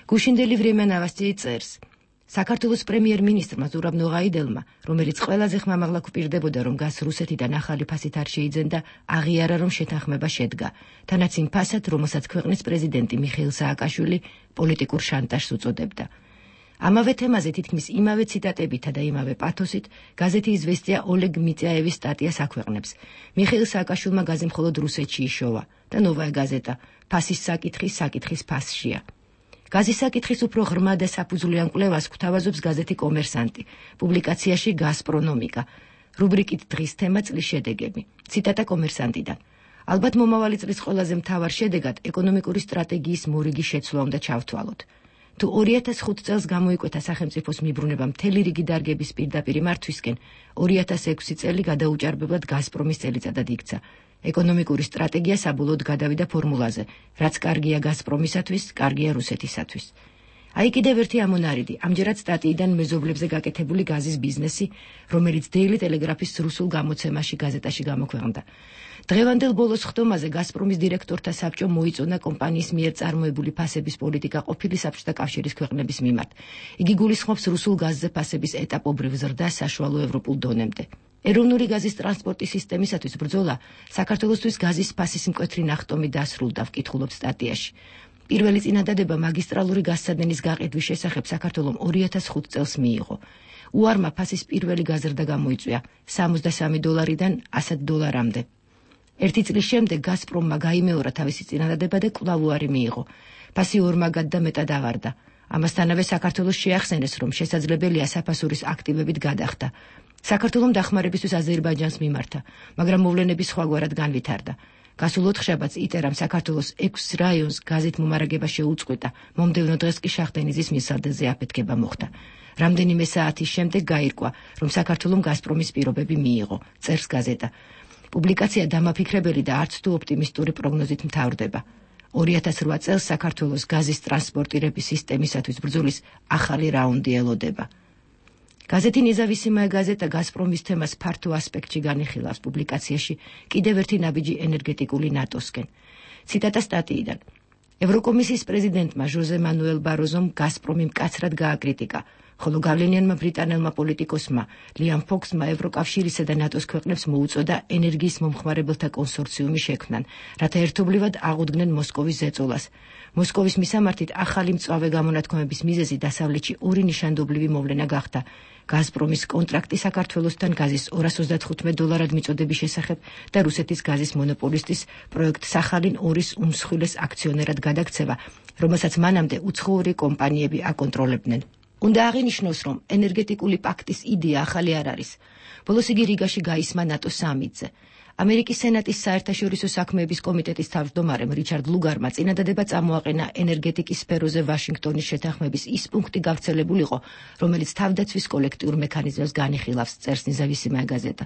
[SPEAKER 17] გუშინდელი ვრემია ნოვოსტი წერს, საქართველოს პრემიერ-მინისტრმა ზურაბ ნოღაიდელმა, რომელიც ყველაზე ხმამაღლა გვპირდებოდა, რომ გაზს რუსეთიდან ახალი ფასით არ შეიძენდა, აღიარა, რომ შეთანხმება შედგა, თანაც იმ ფასად, რომელსაც ქვეყნის პრეზიდენტი მიხეილ სააკაშვილი პოლიტიკურ შანტაჟს უწოდებდა. ამავე თემაზე თითქმის იმავე ციტატებითა და იმავე პათოსით გაზეთი იზვესტია ოლეგ მიწიაევის სტატიას აქვეყნებს. მიხეილ სააკაშვილმა გაზი მხოლოდ რუსეთში იშოვა და ნოვაია გაზეტა ფასის საკითხი საკითხის ფასშია. გაზის საკითხის უფრო ღრმა და საფუძვლიან კვლევას გვთავაზობს გაზეთი კომერსანტი, პუბლიკაციაში გაზპრონომიკა, რუბრიკით დღის თემა წლის შედეგები. ციტატა კომერსანტიდან. ალბათ მომავალი წლის ყველაზე მთავარ შედეგად ეკონომიკური სტრატეგიის მორიგი შეცვლა უნდა ჩავთვალოთ. თუ ორი ათას ხუთი წელს გამოიკვეთა სახელმწიფოს მიბრუნება მთელი რიგი დარგების პირდაპირ მართვისკენ, ორი ათას ექვსი წელი გადაუჭარბებლად გაზპრომის წელიწადად იქცა. ეკონომიკური სტრატეგია საბოლოოდ გადავიდა ფორმულაზე, რაც კარგია გაზპრომისათვის, კარგია რუსეთისათვის. აი კიდევ ერთი ამონარიდი, ამჯერად სტატიიდან მეზობლებზე გაკეთებული გაზის ბიზნესი, რომელიც Daily Telegraph-ის რუსულ გამოცემაში გაზეტაში გამოქვეყნდა. დღევანდელ ბოლოს ხდომაზე გაზპრომის დირექტორთა საბჭო მოიწონა კომპანიის მიერ წარმოებული ფასების პოლიტიკა ყოფილი საბჭოთა კავშირის ქვეყნების მიმართ. იგი გულისხმობს რუსულ გაზზე ფასების ეტაპობრივ ზრდას საშუალო ევროპულ დონემდე. ეროვნული გაზის ტრანსპორტის სისტემისათვის ბრძოლა საქართველოსთვის გაზის ფასის მკვეთრი ნახტომი დასრულდა, ვკითხულობთ სტატიაში. პირველი წინადადება მაგისტრალური გაზსადენის გაყიდვის შესახებ საქართველომ ორი ათას ხუთი წელს მიიღო. უარმა ფასის პირველი გაზრდა გამოიწვია სამოცდასამი დოლარიდან ასად დოლარამდე. ერთი წლის შემდეგ გაზპრომმა გაიმეორა თავისი წინადადება და კვლავ უარი მიიღო. ფასი ორმაგად და მეტად ავარდა. ამასთანავე საქართველოს შეახსენეს, რომ შესაძლებელია საფასურის აქტივებით გადახდა. საქართველომ დახმარებისთვის აზერბაიჯანს მიმართა, მაგრამ მოვლენები სხვაგვარად განვითარდა. გასულ ოთხშაბათს იტერამ საქართველოს ექვს რაიონს გაზით მომარაგება შეუწყვეტა, მომდევნო დღეს კი შახდენიზის მილსადენზე აფეთქება მოხდა. რამდენიმე საათის შემდეგ გაირკვა, რომ საქართველომ გაზპრომის პირობები მიიღო, წერს გაზეტა. პუბლიკაცია დამაფიქრებელი და არც თუ ოპტიმისტური პროგნოზით მთავრდება. ორი ათას რვა წელს საქართველოს გაზის ტრანსპორტირების სისტემისათვის ბრძოლის ახალი რაუნდი ელოდება. გაზეთი ნეზავისიმაია გაზეტა გაზპრომის თემას ფართო ასპექტში განიხილავს პუბლიკაციაში კიდევ ერთი ნაბიჯი ენერგეტიკული ნატოსკენ. ციტატა სტატიიდან. ევროკომისიის პრეზიდენტმა ჟოზე მანუელ ბაროზომ გაზპრომი მკაცრად გააკრიტიკა, ხოლო გავლენიანმა ბრიტანელმა პოლიტიკოსმა ლიამ ფოქსმა ევროკავშირისა და ნატოს ქვეყნებს მოუწოდა ენერგიის მომხმარებელთა კონსორციუმი შექმნან, რათა ერთობლივად აღუდგნენ მოსკოვის ზეწოლას. მოსკოვის მისამართით ახალი მწვავე გამონათქვამების მიზეზი დასავლეთში ორი ნიშანდობლივი მოვლენა გახდა. გაზპრომის კონტრაქტი საქართველოსთან გაზის ორას ოცდათხუთმეტ დოლარად მიწოდების შესახებ და რუსეთის გაზის მონოპოლისტის პროექტ სახალინ ორის უმსხვილეს აქციონერად გადაქცევა, რომელსაც მანამდე უცხოური კომპანიები აკონტროლებდნენ. უნდა აღინიშნოს, რომ ენერგეტიკული პაქტის იდეა ახალი არ არის. ბოლოს იგი რიგაში გაისმა ნატოს სამიტზე. ამერიკის სენატის საერთაშორისო საქმეების კომიტეტის თავმჯდომარემ რიჩარდ ლუგარმა წინადადება წამოაყენა ენერგეტიკის სფეროზე ვაშინგტონის შეთანხმების ის პუნქტი გავრცელებულიყო, რომელიც თავდაცვის კოლექტიურ მექანიზმებს განიხილავს, წერს ნეზავისიმაია გაზეტა.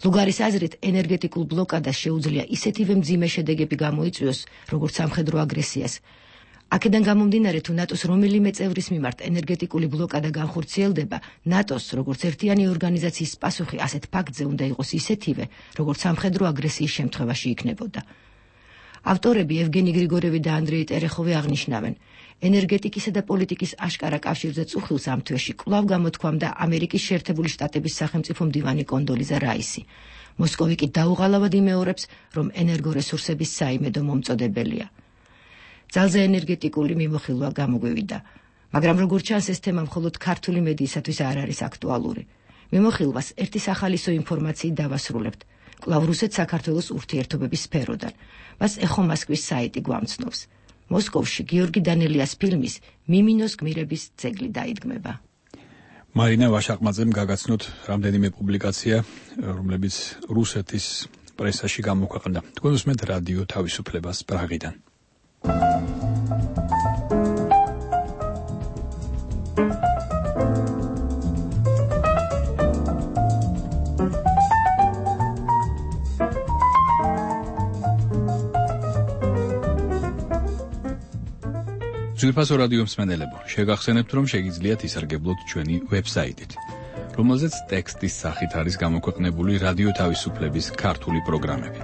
[SPEAKER 17] ლუგარის აზრით, ენერგეტიკულ ბლოკადას შეუძლია ისეთივე მძიმე შედეგები გამოიწვიოს, როგორც სამხედრო აგრესიას. აქედან გამომდინარე, თუ ნატოს რომელიმე წევრის მიმართ ენერგეტიკული ბლოკადა განხორციელდება, ნატოს, როგორც ერთიანი ორგანიზაციის პასუხი ასეთ ფაქტზე უნდა იყოს ისეთივე, როგორც სამხედრო აგრესიის შემთხვევაში იქნებოდა. ავტორები ევგენი გრიგორევი და ანდრეი ტერეხოვი აღნიშნავენ, ენერგეტიკისა და პოლიტიკის აშკარა კავშირზე წუხილს ამ თვეში კვლავ გამოთქვამდა ამერიკის შეერთებული შტატების სახელმწიფო მდივანი კონდოლიზა რაისი. მოსკოვი კი დაუღალავად იმეორებს, რომ ენერგორესურსების საიმედო მომწოდებელია. ძალზე ენერგეტიკული მიმოხილვა გამოგვივიდა, მაგრამ როგორც ჩანს, ეს თემა მხოლოდ ქართული მედიისათვის არ არის აქტუალური. მიმოხილვას ერთი სახალისო ინფორმაციით დავასრულებთ, კვლავ რუსეთ-საქართველოს ურთიერთობების სფეროდან. მას ეხო მოსკოვის საიტი გვამცნობს. მოსკოვში გიორგი დანელიას ფილმის მიმინოს გმირების ძეგლი დაიდგმება.
[SPEAKER 3] მარინა ვაშაყმაძემ გაგაცნოთ რამდენიმე პუბლიკაცია, რომლებიც რუსეთის პრესაში გამოქვეყნდა. თქვენ უსმენთ რადიო თავისუფლებას პრაღიდან. ძვირფასო რადიო მსმენელებო, შეგახსენებთ, რომ შეგიძლიათ ისარგებლოთ ჩვენი ვებსაიტით, რომელზეც ტექსტის სახით არის გამოქვეყნებული რადიო თავისუფლების ქართული პროგრამები.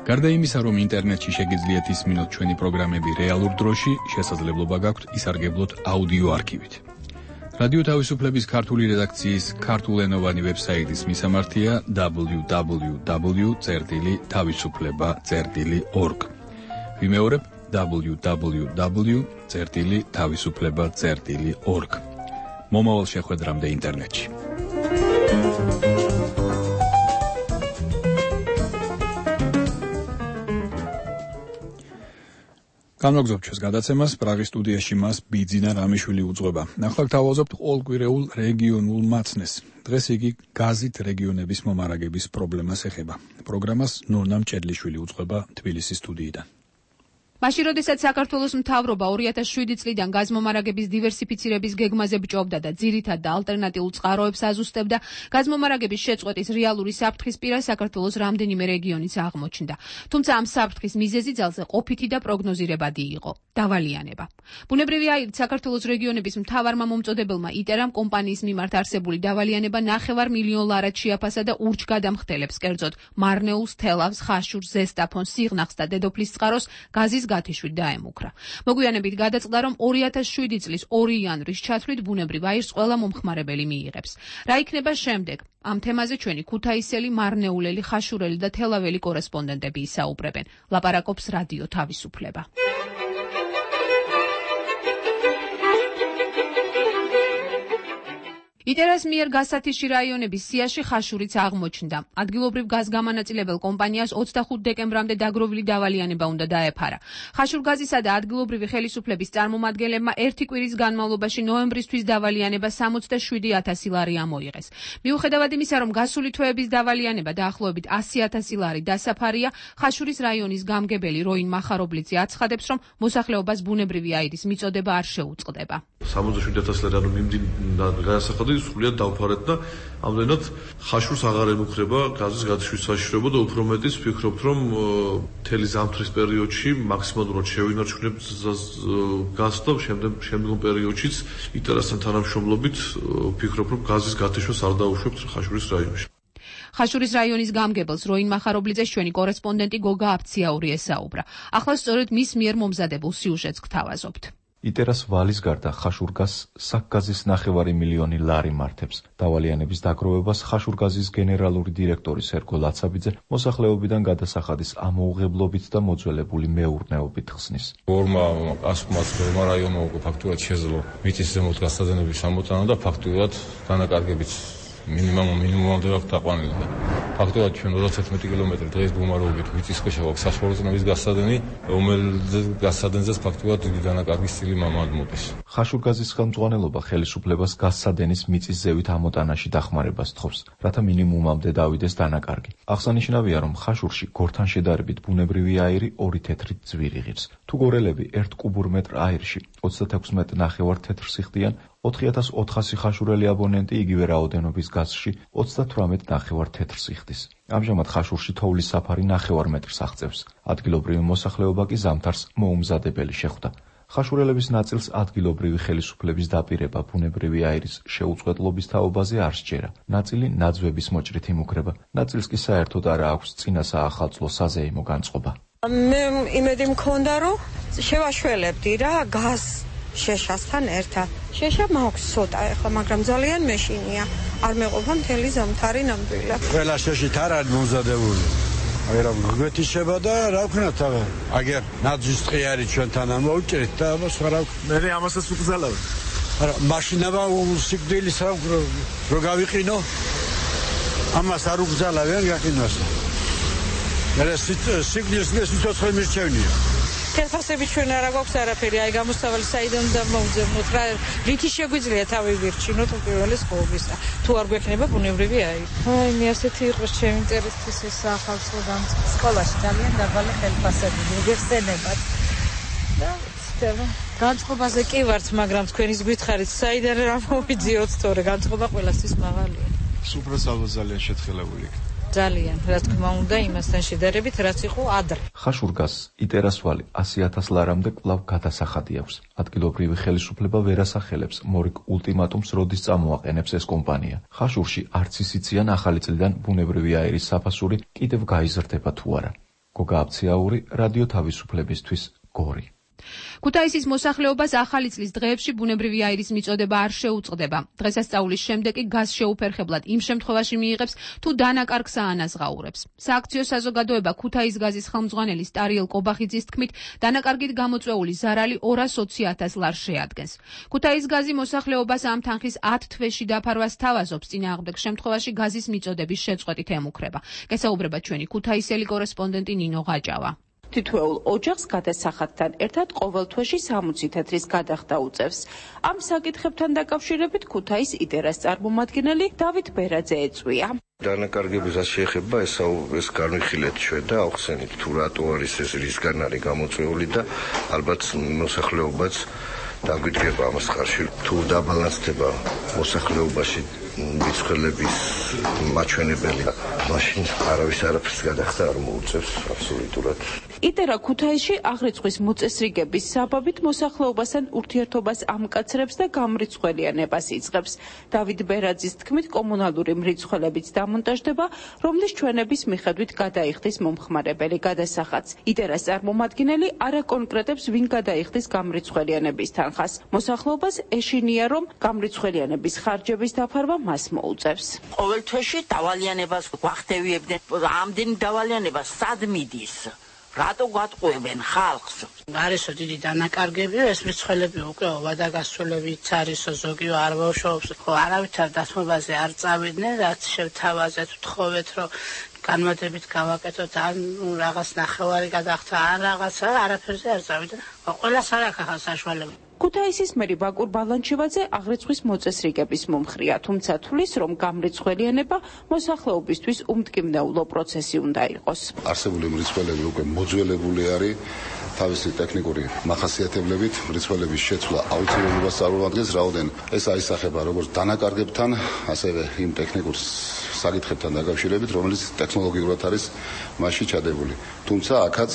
[SPEAKER 3] გარდა იმისა, რომ ინტერნეტში შეგიძლიათ ისმინოთ ჩვენი პროგრამები რეალურ დროში, შესაძლებლობა გაქვთ ისარგებლოთ აუდიო არქივით. რადიო თავისუფლების ქართული რედაქციის ქართულენოვანი ვებსაიტის მისამართია დაბლიუ დაბლიუ დაბლიუ წერტილი თავისუფლება წერტილი ორგ. ვიმეორებ დაბლიუ დაბლიუ დაბლიუ წერტილი თავისუფლება წერტილი ორგ. მომავალ შეხვედრამდე ინტერნეტში. განვაგრძობთ ჩვენს გადაცემას, პრაღის სტუდიაში მას ბიძინა რამიშვილი უძღვება. ახლა გთავაზობთ ყოველკვირეულ რეგიონულ მაცნეს. დღეს იგი გაზით რეგიონების მომარაგების პრობლემას ეხება. პროგრამას ნონა მჭედლიშვილი უძღვება თბილისის სტუდიიდან.
[SPEAKER 18] მაშინ, როდესაც საქართველოს მთავრობა ორი ათას შვიდი წლიდან გაზმომარაგების დივერსიფიცირების გეგმაზე ბჭობდა და ძირითად და ალტერნატიულ წყაროებს აზუსტებდა, გაზმომარაგების შეწყვეტის რეალური საფრთხის პირას საქართველოს რამდენიმე რეგიონიც აღმოჩნდა. თუმცა ამ საფრთხის მიზეზი ძალზე ყოფითი და პროგნოზირებადი იყო დავალიანება. ბუნებრივი აირით საქართველოს რეგიონების მთავარმა მომწოდებელმა იტერამ კომპანიის მიმართ არსებული დავალიანება ნახევარ მილიონ ლარად შეაფასა და ურჩგადამხდელებს, კერძოდ მარნეულს, თელავს, ხაშურს, ზესტაფონს, სიღნაღს და დედოფლის წყაროს გაზის გათიშვით დაემუქრა. მოგვიანებით გადაწყდა, რომ ორი ათას შვიდი წლის ორი იანვრის ჩათვლით ბუნებრივ აირს ყველა მომხმარებელი მიიღებს. რა იქნება შემდეგ? ამ თემაზე ჩვენი ქუთაისელი, მარნეულელი, ხაშურელი და თელაველი კორესპონდენტები ისაუბრებენ. ლაპარაკობს რადიო თავისუფლება. იტერას მიერ გასათიში რაიონების სიაში ხაშურიც აღმოჩნდა. ადგილობრივ გაზგამანაწილებელ კომპანიას ოცდახუთ დეკემბრამდე დაგროვილი დავალიანება უნდა დაეფარა. ხაშურგაზისა და ადგილობრივი ხელისუფლების წარმომადგენლებმა ერთი კვირის განმავლობაში ნოემბრისთვის დავალიანება სამოცდაშვიდი ათასი ლარი ამოიღეს. მიუხედავად იმისა, რომ გასული თვეების დავალიანება დაახლოებით ასი ათასი ლარი დასაფარია, ხაშურის რაიონის გამგებელი როინ მახარობლიძე აცხადებს, რომ მოსახლეობას ბუნებრივი აირის მიწოდება არ შეუწყდება.
[SPEAKER 19] სამოცდაშვიდი ათასი ლარი ანუ მიმდინარე განსახადები სრულიად დავფარეთ და ამდენად ხაშურს აღარ ემუქრება გაზის გათიშვის საშიშროება და უფრო მეტიც ვფიქრობთ, რომ მთელი ზამთრის პერიოდში მაქსიმალურად შევინარჩუნებთ გაზს და შემდგომ პერიოდშიც იტერასთან თანამშრომლობით ვფიქრობ, რომ გაზის გათიშვას არ დაუშვებთ ხაშურის რაიონში.
[SPEAKER 18] ხაშურის რაიონის გამგებელს როინ მახარობლიძეს ჩვენი კორესპონდენტი გოგა აფციაური ესაუბრა. ახლა სწორედ მის მიერ მომზადებულ სიუჟეტს გთავაზობთ.
[SPEAKER 20] იტერას ვალის გარდა ხაშურგაზს საკგაზის ნახევარი მილიონი ლარი მართებს. დავალიანების დაგროვებას ხაშურგაზის გენერალური დირექტორი სერგო ლაცაბიძე მოსახლეობიდან გადასახადის ამოუღებლობით და მოძველებული მეურნეობით ხსნის.
[SPEAKER 15] ორმა ასკმას ორმა რაიონმა უკვე ფაქტურად შეძლო მიწის ზემოთ გასადენების ამოტანა და ფაქტურად დანაკარგებით მინიმუმ მინიმუმამდე აქვს დაყვანილი. ფაქტობრივად ჩვენ ოცდათერთმეტი კილომეტრი დღეს გუმარობით მიწის ქვეშ აქვს საშუალო წნევის გასადენი, რომელზე გასადენზეც ფაქტობრივად დიდი დანაკარგის წილი მომდის.
[SPEAKER 20] ხაშურგაზის ხელმძღვანელობა ხელისუფლებას გასადენის მიწის ზევით ამოტანაში დახმარებას თხოვს, რათა მინიმუმამდე დავიდეს დანაკარგი. აღსანიშნავია, რომ ხაშურში გორთან შედარებით ბუნებრივი აირი ორი თეთრი ძვირი ღირს. თუ გორელები ერთ კუბურ მეტრ აირში ოცდათექვსი მეტრ ნახევარ თეთრს იხდიან, ოთხი ათას ოთხასი ხაშურელი აბონენტი იგივე რაოდენობის გაზში ოცდათვრამეტ ნახევარ თეთრს იხდის. ამჟამად ხაშურში თოვლის საფარი ნახევარ მეტრს აღწევს. ადგილობრივი მოსახლეობა კი ზამთარს მოუმზადებელი შეხვდა. ხაშურელების ნაწილს ადგილობრივი ხელისუფლების დაპირება ბუნებრივი აირის შეუწყვეტლობის თაობაზე არ სჯერა. ნაწილი ნაძვების მოჭრით იმუქრება, ნაწილს კი საერთოდ არ აქვს წინა საახალწლო საზეიმო განწყობა.
[SPEAKER 21] მე იმედი მქონდა, რომ შევაშველებდი რა გაზ შეშასთან ერთად. შეშა მაქვს ცოტა ახლა, მაგრამ ძალიან მეშინია. არ მეყოფა მთელი ზამთარი ნამდვილად.
[SPEAKER 22] ყველა შეშით არ არის მომზადებული. აი რა გვეთიშება და რა ვქნათ აღა. აგერ ნაძვის ტყი არის ჩვენთან ამოვჭრით და ამას რა მე ამასაც ვგზავნებ. არა, მაშინა სიკვდილის რა რო გავიყინო. ამას არ ვგზავნებ გაკინოს. მე სიკვდილის სიცოცხლე მირჩევნია.
[SPEAKER 21] თელფასები ჩვენ არა გვაქვს არაფერი, აი გამოსავალი საიდან უნდა მოვძებნოთ რა, რითი შეგვიძლია თავი ვირჩინოთ უპირველეს ყოვლისა, თუ არ გვექნება ბუნებრივი აირი. აი მე ასეთი იყოს ჩემი ინტერესის ეს ახალწლო დამწყება.
[SPEAKER 23] სკოლაში ძალიან დაბალი თელფასები მოგეხსენებათ.
[SPEAKER 21] და ცდება. განწყობაზე კი ვართ, მაგრამ თქვენის გვითხარით, საიდან რა მოვიძიოთ, თორე განწყობა ყველასთვის მაღალია.
[SPEAKER 22] სუპრასალო ძალიან შეთხელებული.
[SPEAKER 21] ძალიან, რა თქმა უნდა, იმასთან შედარებით, რაც იყო ადრე.
[SPEAKER 20] ხაშურგაზს იტერას ვალი ასი ათას ლარამდე კვლავ გადასახადი აქვს. ადგილობრივი ხელისუფლება ვერ ასახელებს მორიგ ულტიმატუმს, როდის წამოაყენებს ეს კომპანია. ხაშურში არც ისიციან ახალი წლიდან ბუნებრივი აირის საფასური კიდევ გაიზრდება თუ არა. გოგა აფციაური, რადიო თავისუფლებისთვის, გორი.
[SPEAKER 18] ქუთაისის მოსახლეობას ახალი წლის დღეებში ბუნებრივი აირის მიწოდება არ შეუწყდება. დღესასწაულის შემდეგ კი გაზ შეუფერხებლად იმ შემთხვევაში მიიღებს, თუ დანაკარგს აანაზღაურებს. სააქციო საზოგადოება ქუთაის გაზის ხელმძღვანელი სტარიელ კობახიძის თქმით, დანაკარგით გამოწვეული ზარალი ორას ოცი ათას ლარს შეადგენს. ქუთაის გაზი მოსახლეობას ამ თანხის ათ თვეში დაფარვას თავაზობს, წინააღმდეგ შემთხვევაში გაზის მიწოდების შეწყვეტით ემუქრება. გესაუბრება ჩვენი ქუთაისელი კორესპონდენტი ნინო ღაჭავა.
[SPEAKER 24] თითოეულ ოჯახს გადასახადთან ერთად ყოველ თვეში სამოცი თეთრის გადახდა უწევს. ამ საკითხებთან დაკავშირებით ქუთაის იტერას წარმომადგენელი დავით ბერაძე ეწვია.
[SPEAKER 1] დანაკარგებისაც შეეხება ეს ეს განვიხილეთ ჩვენ და ავხსენით თუ რატო არის ეს რისგან არის გამოწვეული და ალბათ მოსახლეობაც დაგვიდგება ამას ხარში თუ დაბალანსდება მოსახლეობაში მიწველების მაჩვენებელი მაშინ არავის არაფერს გადახდა არ მოუწევს აბსოლუტურად.
[SPEAKER 24] იტერა ქუთაისში აღრიცხვის მოწესრიგების საბაბით მოსახლეობასთან ურთიერთობას ამკაცრებს და გამრიცხველიანებას იწყებს. დავით ბერაძის თქმით კომუნალური მრიცხველებიც დამონტაჟდება, რომლის ჩვენების მიხედვით გადაიხდის მომხმარებელი გადასახადს. იტერას წარმომადგენელი არ აკონკრეტებს ვინ გადაიხდის გამრიცხველიანების თანხას. მოსახლეობას ეშინია, რომ გამრიცხველიანების ხარჯების დაფარვა მას მოუწევს.
[SPEAKER 2] ყოველ თვეში დავალიანებას გვახდევიებდნენ, ამდენი დავალიანება სად მიდის? რატო გვატყუებენ ხალხს?
[SPEAKER 4] არისო დიდი დანაკარგები, ეს მრიცხველები უკვე ვადაგასწრებიც არისო ზოგი არ ბავშვობს. ხო, არავითარ დათმობაზე არ წავიდნენ, რაც შევთავაზეთ, ვთხოვეთ, რომ განმადებით გავაკეთოთ, ან რაღაც ნახევარი გადახდა, ან რაღაცა, არაფერზე არ წავიდნენ. ყველას არ აქვს საშუალება.
[SPEAKER 24] ქუთაისის მერი ბაკურ ბალანჩივაძე აღრიცხვის მოწესრიგების მომხრია, თუმცა თვლის, რომ გამრიცხველიანება მოსახლეობისთვის უმტკივნეულო პროცესი უნდა იყოს.
[SPEAKER 6] არსებული მრიცხველები უკვე მოძველებული არის თავისი ტექნიკური მახასიათებლებით, მრიცხველების შეცვლა აუცილებლობას წარმოადგენს, რაოდენ ეს აისახება როგორც დანაკარგებთან, ასევე იმ ტექნიკურ საკითხებთან დაკავშირებით, რომელიც ტექნოლოგიურად არის მასში ჩადებული. თუმცა აქაც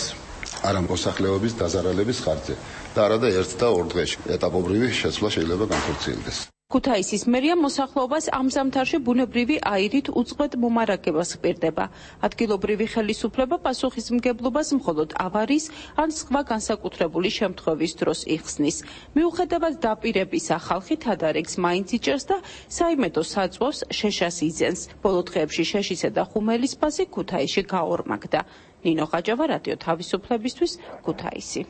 [SPEAKER 6] არა მოსახლეობის დაზარალების ხარჯზე და არადა ერთ და ორ დღეში ეტაპობრივი შეცვლა შეიძლება განხორციელდეს.
[SPEAKER 24] ქუთაისის მერია მოსახლეობას ამ ზამთარში ბუნებრივი აირით უწყვეტ მომარაგებას ჰპირდება. ადგილობრივი ხელისუფლება პასუხისმგებლობას მხოლოდ ავარიის ან სხვა განსაკუთრებული შემთხვევის დროს იხსნის. მიუხედავად დაპირებისა, ხალხი თადარიგს მაინც იჭერს და საიმედო საწვავს შეშას იძენს. ბოლო დღეებში შეშისა და ხუმელის ბაზი ქუთაისში გაორმაგდა. ნინო ხაჯავა, რადიო თავისუფლებისთვის, ქუთაისი.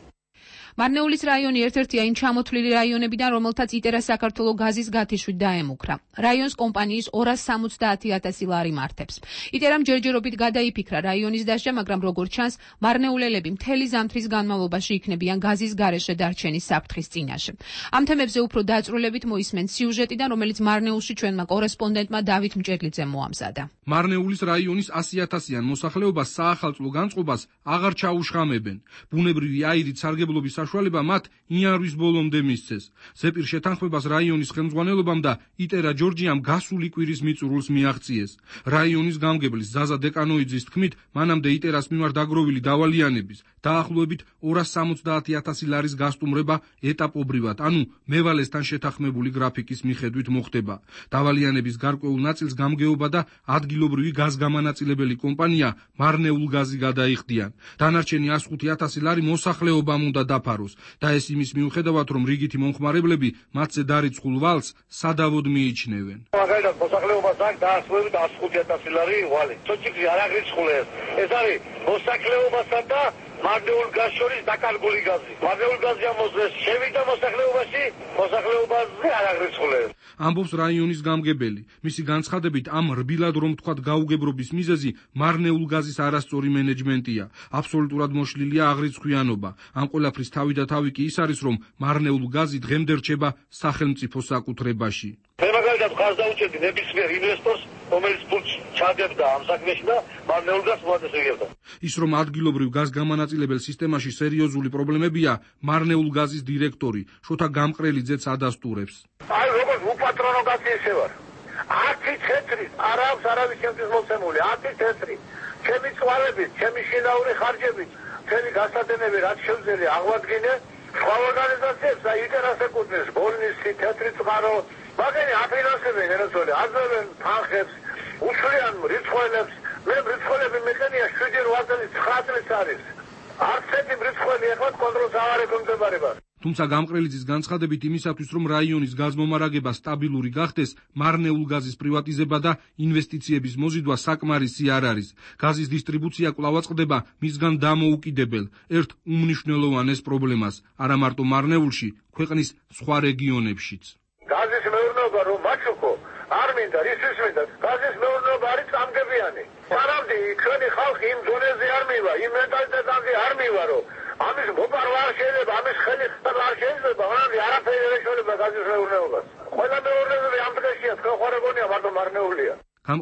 [SPEAKER 18] მარნეულის რაიონი ერთ-ერთია იმ ჩამოთვლილი რაიონებიდან, რომელთაც იტერა საქართველოს გაზის გათიშვით დაემუქრა. რაიონს კომპანიის ორას სამოცდაათი ათასი ლარი მართებს. იტერამ ჯერჯერობით გადაიფიქრა რაიონის დასჯა, მაგრამ როგორც ჩანს, მარნეულელები მთელი ზამთრის განმავლობაში იქნებიან გაზის გარეშე დარჩენის საფრთხის წინაშე. ამ თემებზე უფრო დაწვრილებით მოისმენთ სიუჟეტიდან, რომელიც მარნეულში ჩვენმა კორესპონდენტმა დავით მჭედლიძემ მოამზადა.
[SPEAKER 7] მარნეულის რაიონის ასი ათასიან მოსახლეობას საახალწლო განწყობას აღარ ჩაუშხამებენ. ბუნებრივი აირით სარგებლობის საშუალება მათ იანვრის ბოლომდე მისცეს. ზეპირ შეთანხმებას რაიონის ხელმძღვანელობამ და იტერა ჯორჯიამ გასული კვირის მიწურულს მიაღწიეს. რაიონის გამგებლის ზაზა დეკანოიძის თქმით, მანამდე იტერას მიმართ დაგროვილი დავალიანების დაახლოებით ორას სამოცდაათი ათასი ლარის გასტუმრება ეტაპობრივად, ანუ მევალესთან შეთანხმებული გრაფიკის მიხედვით მოხდება. დავალიანების გარკვეულ ნაწილს გამგეობა და ადგილობრივი გაზგამანაწილებელი კომპანია მარნეულგაზი გადაიხდიან. დანარჩენი ას ხუთი ათასი ლარი მოსახლეობამ უნდა დაფაროს და ეს იმის მიუხედავად, რომ რიგითი მომხმარებლები მათზე დარიცხულ ვალს სადავოდ მიიჩნევენ.
[SPEAKER 25] მაგალითად მოსახლეობას აქვს დაახლოებით ას ხუთი ათასი ლარი ვალი. სოჭიქი არ აღრიცხულეს. ეს არის მოსახლეობასთან და მარნეულ გაზს შორის დაკარგული გაზი. მარნეულ გაზი ამოძეს შევიდა მოსახლეობაში, მოსახლეობაზე არ აღრიცხულეს.
[SPEAKER 7] ამბობს რაიონის გამგებელი. მისი განცხადებით, ამ რბილად რომ თქვათ გაუგებრობის მიზეზი მარნეულ გაზის არასწორი მენეჯმენტია. აბსოლუტურად მოშლილია აღრიცხვიანობა. ამ ყველაფრის თავი და თავი კი ის არის, რომ მარნეულ გაზი დღემდე რჩება სახელმწიფო საკუთრებაში.
[SPEAKER 25] მე მაგალითად ხარს დაუჭერდი ნებისმიერ ინვესტორს, რომელიც ფულს ჩადებდა ამ საქმეში და მარნეულ გაზს მოაწესრიგებდა.
[SPEAKER 7] ის რომ ადგილობრივ გაზგამანაწილებელ სისტემაში სერიოზული პრობლემებია, მარნეულ გაზის დირექტორი შოთა გამყრელიძეც ადასტურებს.
[SPEAKER 25] აი როგორც უპატრონო გაზი ესე ვარ. ათი თეთრი, არ აქვს არავის ჩემთვის მოცემული, ათი თეთრი. ჩემი წვარებით, ჩემი შინაური ხარჯებით, მთელი გასადენები რაც შევძელი აღვადგინე, სხვა ორგანიზაციებს და იტერას ეკუთვნის, ბოლნისი, თეთრი წყარო, მაგენი აფინანსებენ ეროვნული, აძლევენ თანხებს, უშლიან მრიცხველებს, მე მრიცხველები მეყენია შვიდი რვა წელი ცხრა წლის არის. არც ერთი მრიცხველი ეხლა კონტროლს აღარ ექვემდებარება.
[SPEAKER 7] თუმცა გამყრელიძის განცხადებით იმისათვის, რომ რაიონის გაზმომარაგება სტაბილური გახდეს, მარნეულ გაზის პრივატიზება და ინვესტიციების მოზიდვა საკმარისი არ არის. გაზის დისტრიბუცია კვლავ აწყდება მისგან დამოუკიდებელ, ერთ უმნიშვნელოვანეს პრობლემას, არა მარტო მარნეულში, ქვეყნის სხვა რეგიონებშიც.
[SPEAKER 25] გაზის მეურნეობა რომ მაჩუქო, არ მინდა, ისთვის მინდა. გაზის მეურნეობა არის წამგებიანი. სანამდე ჩვენი ხალხი იმ დონეზე არ მივა, იმ მენტალიტეტაზე არ მივა, რომ ამის მოპარვა არ შეიძლება, ამის ხელი არ შეიძლება, მაგრამ არაფერი არ შეიძლება გაზის მეურნეობას. ყველა მეურნეობები ამ დღეშია, თქვენ ხარ ეგონია, მარტო მარნეულია.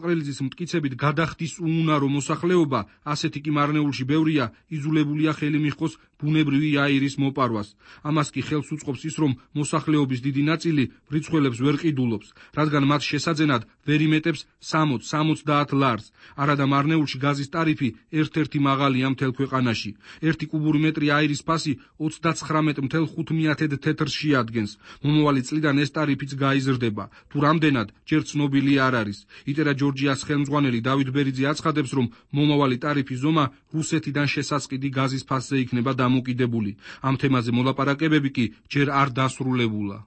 [SPEAKER 7] წაყრელიძის მტკიცებით გადახდის უუნარო მოსახლეობა, ასეთი კი მარნეულში ბევრია, იზოლებულია ხელი მიჰყოს ბუნებრივი აირის მოპარვას. ამას კი ხელს უწყობს ის, რომ მოსახლეობის დიდი ნაწილი მრიცხველებს ვერ ყიდულობს, რადგან მათ შესაძენად ვერ იმეტებს სამოცს სამოცდაათ ლარს. არადა მარნეულში გაზის ტარიფი ერთ-ერთი მაღალია მთელ ქვეყანაში. ერთი კუბური მეტრი აირის ფასი ოცდაცხრამეტ ათას ხუთმეათე თეთრს შეადგენს. მომავალი წლიდან ეს ტარიფიც გაიზრდება. თუ რამდენად, ჯერ ცნობილი არ არის. იტერა ჯორჯიას ხელმძღვანელი დავით ბერიძე აცხადებს, რომ მომავალი ტარიფის ზომა რუსეთიდან შესაწყიდი გაზის ფასზე იქნება დამოკიდებული. ამ თემაზე მოლაპარაკებები კი ჯერ არ დასრულებულა.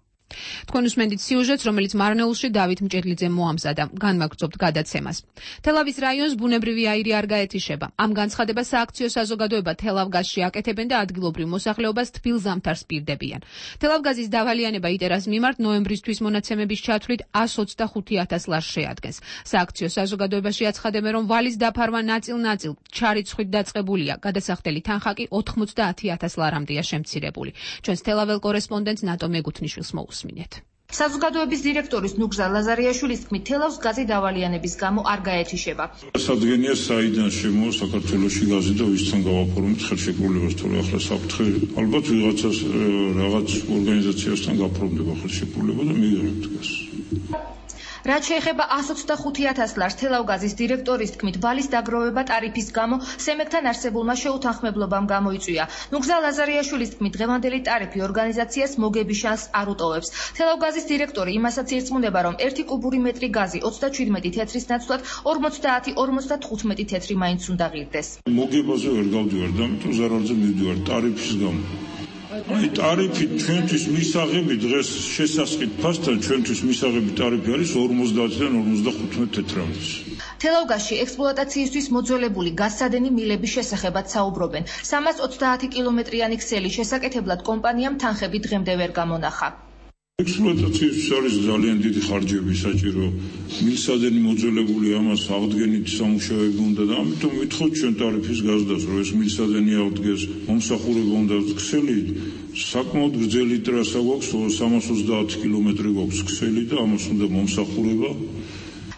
[SPEAKER 18] თქვენ უსმენთ სიუჟეტს, რომელიც მარნეულში დავით მჭედლიძემ მოამზადა. განვაგრძობთ გადაცემას. თელავის რაიონს ბუნებრივი აირი არ გაეთიშება. ამ განცხადებას სააქციო საზოგადოება თელავგაზში აკეთებენ და ადგილობრივ მოსახლეობას თბილ ზამთარს პირდებიან. თელავგაზის დავალიანება იტერას მიმართ ნოემბრისთვის მონაცემების ჩათვლით ას ოცდახუთი ათას ლარს შეადგენს. სააქციო საზოგადოებაში აცხადებენ, რომ ვალის დაფარვა ნაწილ-ნაწილ ჩარიცხვით დაწყებულია. გადასახდელი თანხა კი ოთხმოცდაათი ათას ლარამდეა შემცირებული. ჩვენს თელაվել კორესპონდენტს ნატო მეგუთნიშვილს მოუსმინეთ.
[SPEAKER 5] საზოგადოების დირექტორის ნუგზა ლაზარიაშვილის თქმით, თელავს გაზი დავალიანების გამო არ გაეთიშება.
[SPEAKER 8] სადგენია საიდან შემოვა საქართველოში გაზი და ვისთან გავაფორმოთ ხელშეკრულებას, თორე ახლა საფრთხე ალბათ ვიღაცას რაღაც ორგანიზაციასთან გაფორმდება ხელშეკრულება და მიიღებთ გაზს.
[SPEAKER 5] რაც შეეხება ას ოცდახუთი ათას ლარს, თელავგაზის დირექტორის თქმით, ვალის დაგროვება ტარიფის გამო სემეკთან არსებულმა შეუთანხმებლობამ გამოიწვია. ნუგზა ლაზარიაშვილის თქმით, დღევანდელი ტარიფი ორგანიზაციას მოგების შანსს არ უტოვებს. თელავგაზის დირექტორი იმასაც ირწმუნება, რომ ერთი კუბური მეტრი გაზი ოცდაჩვიდმეტი თეთრის ნაცვლად ორმოცდაათი ორმოცდათხუთმეტი თეთრი მაინც უნდა ღირდეს.
[SPEAKER 8] მოგებაზე ვერ გავდივარ და ამიტომ ზარალზე მივდივარ ტარიფის გამო. აი ტარიფი ჩვენთვის მისაღები დღეს შესასყიდ ფასთან ჩვენთვის მისაღები ტარიფი არის ორმოცდაათიდან ორმოცდახუთმეტ თეთრამდე.
[SPEAKER 5] თელავგაზში ექსპლუატაციისთვის მოძველებული გაზსადენი მილების შესახებაც საუბრობენ. სამას ოცდაათი კილომეტრიანი ქსელის შესაკეთებლად კომპანიამ თანხები დღემდე ვერ გამონახა.
[SPEAKER 8] ექსპლუატაციის არის ძალიან დიდი ხარჯები საჭირო. მილსადენი მოძველებული ამას აღდგენით სამუშაოები უნდა და ამიტომ ვითხოვთ ჩვენ ტარიფის გაზდას, რომ ეს მილსადენი აღდგეს, მომსახურება უნდა ქსელი საკმაოდ გრძელი ტრასა გვაქვს, სამას ოცდაათი კილომეტრი გვაქვს ქსელი და ამას უნდა მომსახურება.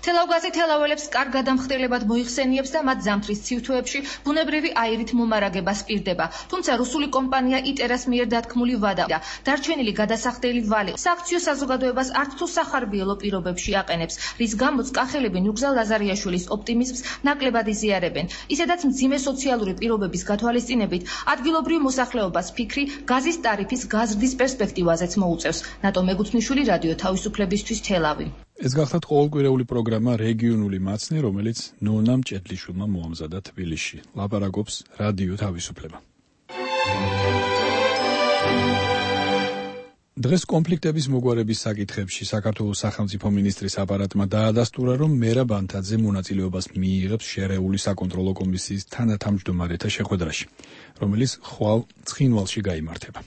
[SPEAKER 5] თელავგაზი თელაველებს კარგ გადამხდელებად მოიხსენიებს და მათ ზამთრის ცივთვეებში ბუნებრივი აირით მომარაგებას პირდება. თუმცა რუსული კომპანია იტერას მიერ დათქმული ვადა და დარჩენილი გადასახდელი ვალი სააქციო საზოგადოებას არც თუ სახარბიელო პირობებში აყენებს, რის გამოც კახელები ნუგზა ლაზარიაშვილის ოპტიმიზმს ნაკლებად იზიარებენ. ისედაც მძიმე სოციალური პირობების გათვალისწინებით ადგილობრივ მოსახლეობას ფიქრი გაზის ტარიფის გაზრდის პერსპექტივაზეც მოუწევს. ნატო მეგუთნიშვილი, რადიო თავისუფლებისთვის, თელავი.
[SPEAKER 3] ეს გახლავთ ყოველკვირეული პროგრამა რეგიონული მაცნე, რომელიც ნონა მჭედლიშვილმა მოამზადა თბილისში. ლაპარაკობს რადიო თავისუფლება. დღეს კონფლიქტების მოგვარების საკითხებში საქართველოს სახელმწიფო მინისტრის აპარატმა დაადასტურა, რომ მერაბ ანთაძე მონაწილეობას მიიღებს შერეული საკონტროლო კომისიის თანათავმჯდომარეთა შეხვედრაში, რომელიც ხვალ ცხინვალში გაიმართება.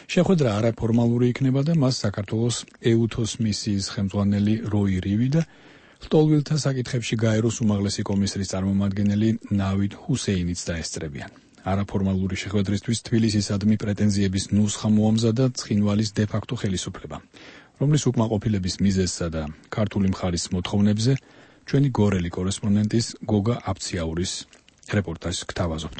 [SPEAKER 3] შეხვედრა არაფორმალური იქნება და მას საქართველოს ეუთოს მისიის ხელმძღვანელი როი რივი და ლტოლვილთა საკითხებში გაეროს უმაღლესი კომისრის წარმომადგენელი ნავიდ ჰუსეინიც დაესწრებიან. არაფორმალური შეხვედრისთვის თბილისისადმი პრეტენზიების ნუსხა მოამზადა ცხინვალის დე-ფაქტო ხელისუფლებამ, რომლის უკმაყოფილების მიზეზსა და ქართული მხარის მოთხოვნებზე ჩვენი გორელი კორესპონდენტის გოგა აფციაურის რეპორტაჟს გთავაზობთ.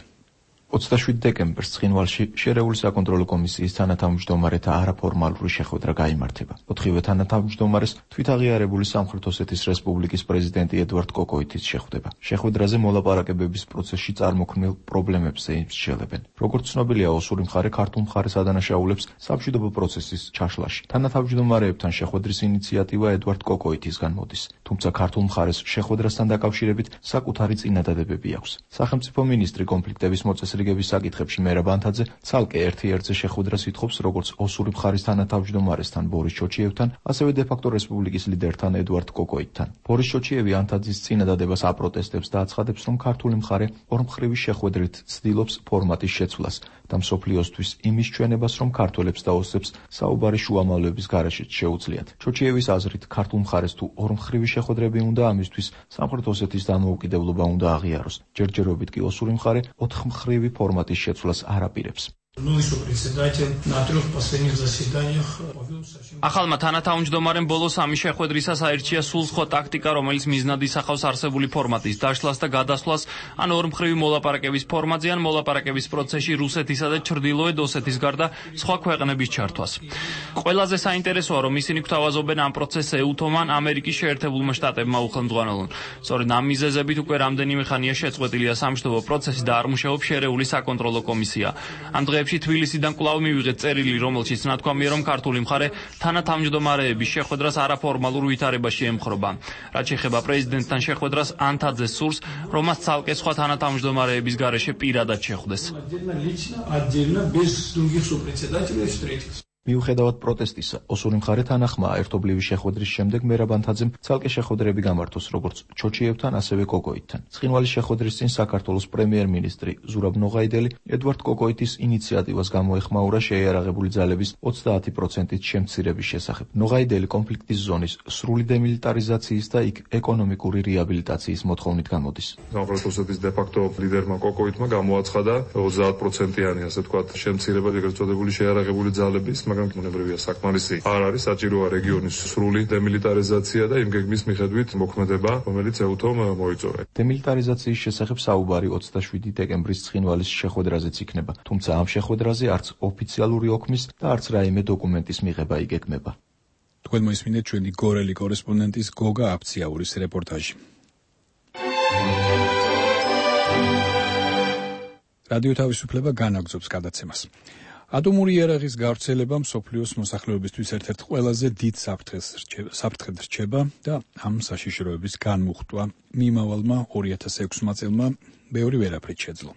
[SPEAKER 20] ოცდაშვიდ დეკემბერს ცხინვალში შერეული საკონტროლო კომისიის თანათავმჯდომარეთა არაფორმალური შეხვედრა გაიმართება. ოთხივე თანათავმჯდომარეს თვითაღიარებული სამხრეთ ოსეთის რესპუბლიკის პრეზიდენტი ედვარდ კოკოითიც შეხვდება. შეხვედრაზე მოლაპარაკებების პროცესში წარმოქმნილ პრობლემებზე ისჩელებენ. როგორც ცნობილია, ოსური მხარე ქართულ მხარეს ადანაშაულებს სამშვიდობო პროცესის ჩაშლაში. თანათავმჯდომარეებთან შეხვედრის ინიციატივა ედვარდ კოკოითისგან მოდის. თუმცა ქართულ მხარეს შეხვედრასთან დაკავშირებით საკუთარი წინადადებები აქვს. სახელმწიფო მინისტრი კონფლიქტების მოწესრიგების რიგების საკითხებში მერაბ ანთაძე ცალკე ერთ-ერთზე შეხვედრას ითხოვს როგორც ოსური მხარის თანათავმჯდომარესთან ბორის ჩოჩიევთან, ასევე დე-ფაქტო რესპუბლიკის ლიდერთან ედვარდ კოკოითთან. ბორის ჩოჩიევი ანთაძის წინადადებას აპროტესტებს და აცხადებს, რომ ქართული მხარე ორმხრივი შეხვედრით ცდილობს ფორმატის შეცვლას და მსოფლიოსთვის იმის ჩვენებას, რომ ქართველებს და ოსებს საუბარი შუამავლების გარეშეც შეუძლიათ. ჩოჩიევის აზრით, ქართულ მხარეს თუ ორმხრივი შეხვედრები უნდა, ამისთვის სამხრეთ ოსეთის დამოუკიდებლობა უნდა აღიაროს. ჯერჯერობით კი ოსური მხარე ოთხმხრივი ფორმატის შეცვლას არ აპირებს.
[SPEAKER 9] ახალმა თანათავმჯდომარემ ბოლოს ამის შეხვედრისას აირჩია სულ სხვა ტაქტიკა, რომელიც მიზნად ისახავს არსებული ფორმატის დაშლას და გადასვლას, ან ორმხრივი მოლაპარაკების ფორმატზე, ან მოლაპარაკების პროცესში რუსეთისა და ჩრდილოეთ ოსეთის გარდა სხვა ქვეყნების ჩართვას. ყველაზე საინტერესოა, რომ ისინი გვთავაზობენ ამ პროცესს ეუთომან ამერიკის შეერთებულმა შტატებმა უხელმძღვანელონ. სწორედ ამ მიზეზებით უკვე რამდენიმე ხანია შეწყვეტილია სამშვიდობო პროცესი და არ მუშაობს შერეული საკონტროლო კომისია. ამ დღეებში თბილისიდან კვლავ მივიღეთ წერილი, რომელშიც ნათქვამია, რომ ქართული მხარე თანათავმჯდომარეების შეხვედრას არაფორმალურ ვითარებაში ემხრობა. რაც შეეხება პრეზიდენტთან შეხვედრას, ანთაძე სურს, რომ მას ცალკე სხვა თანათავმჯდომარეების გარეშე პირადად შეხვდეს.
[SPEAKER 20] მიუხედავად პროტესტისა, ოსური მხარე თანახმაა ერთობლივი შეხვედრის შემდეგ მერაბ ანთაძემ ცალკე შეხვედრები გამართოს როგორც ჩოჩიევთან, ასევე კოკოიტთან. ცხინვალის შეხვედრის წინ საქართველოს პრემიერ-მინისტრი ზურაბ ნოღაიდელი ედვარდ კოკოიტის ინიციატივას გამოეხმაურა შეიარაღებული ძალების ოცდაათი პროცენტით შემცირების შესახებ. ნოღაიდელი კონფლიქტის ზონის სრული დემილიტარიზაციის და იქ ეკონომიკური რეაბილიტაციის მოთხოვნით გამოდის.
[SPEAKER 19] სამხრეთ ოსეთის დე-ფაქტო ლიდერმა კოკოიტმა გამოაცხადა ოცდაათ პროცენტიანი, ასე ვთქვათ, შემცირება ეგრეთ წოდებული შეიარაღებული ძალების, მაგრამ მონებრივია საკმარისი არ არის, საჭიროა რეგიონის სრული დემილიტარიზაცია და იმ გეგმის მიხედვით მოქმედება, რომელიც ეუთომ მოიწურა.
[SPEAKER 20] დემილიტარიზაციის შესახებ საუბარი ოცდაშვიდი დეკემბრის ცხინვალის შეხვედრაზეც იქნება, თუმცა ამ შეხვედრაზე არც ოფიციალური ოქმის და არც რაიმე დოკუმენტის მიღება იგეგმება.
[SPEAKER 3] თქვენ მოისმინეთ ჩვენი გორელი კორესპონდენტის გოგა აფციაურის რეპორტაჟი. რადიო თავისუფლება განაგრძობს გადაცემას. ატომური იარაღის გავრცელება მსოფლიოს მოსახლეობისთვის ერთ-ერთ ყველაზე დიდ საფრთხედ რჩება და ამ საშიშროების განმუხტვა მიმავალმა ორი ათას ექვსმა წელმა ბევრი ვერაფრით შეძლო.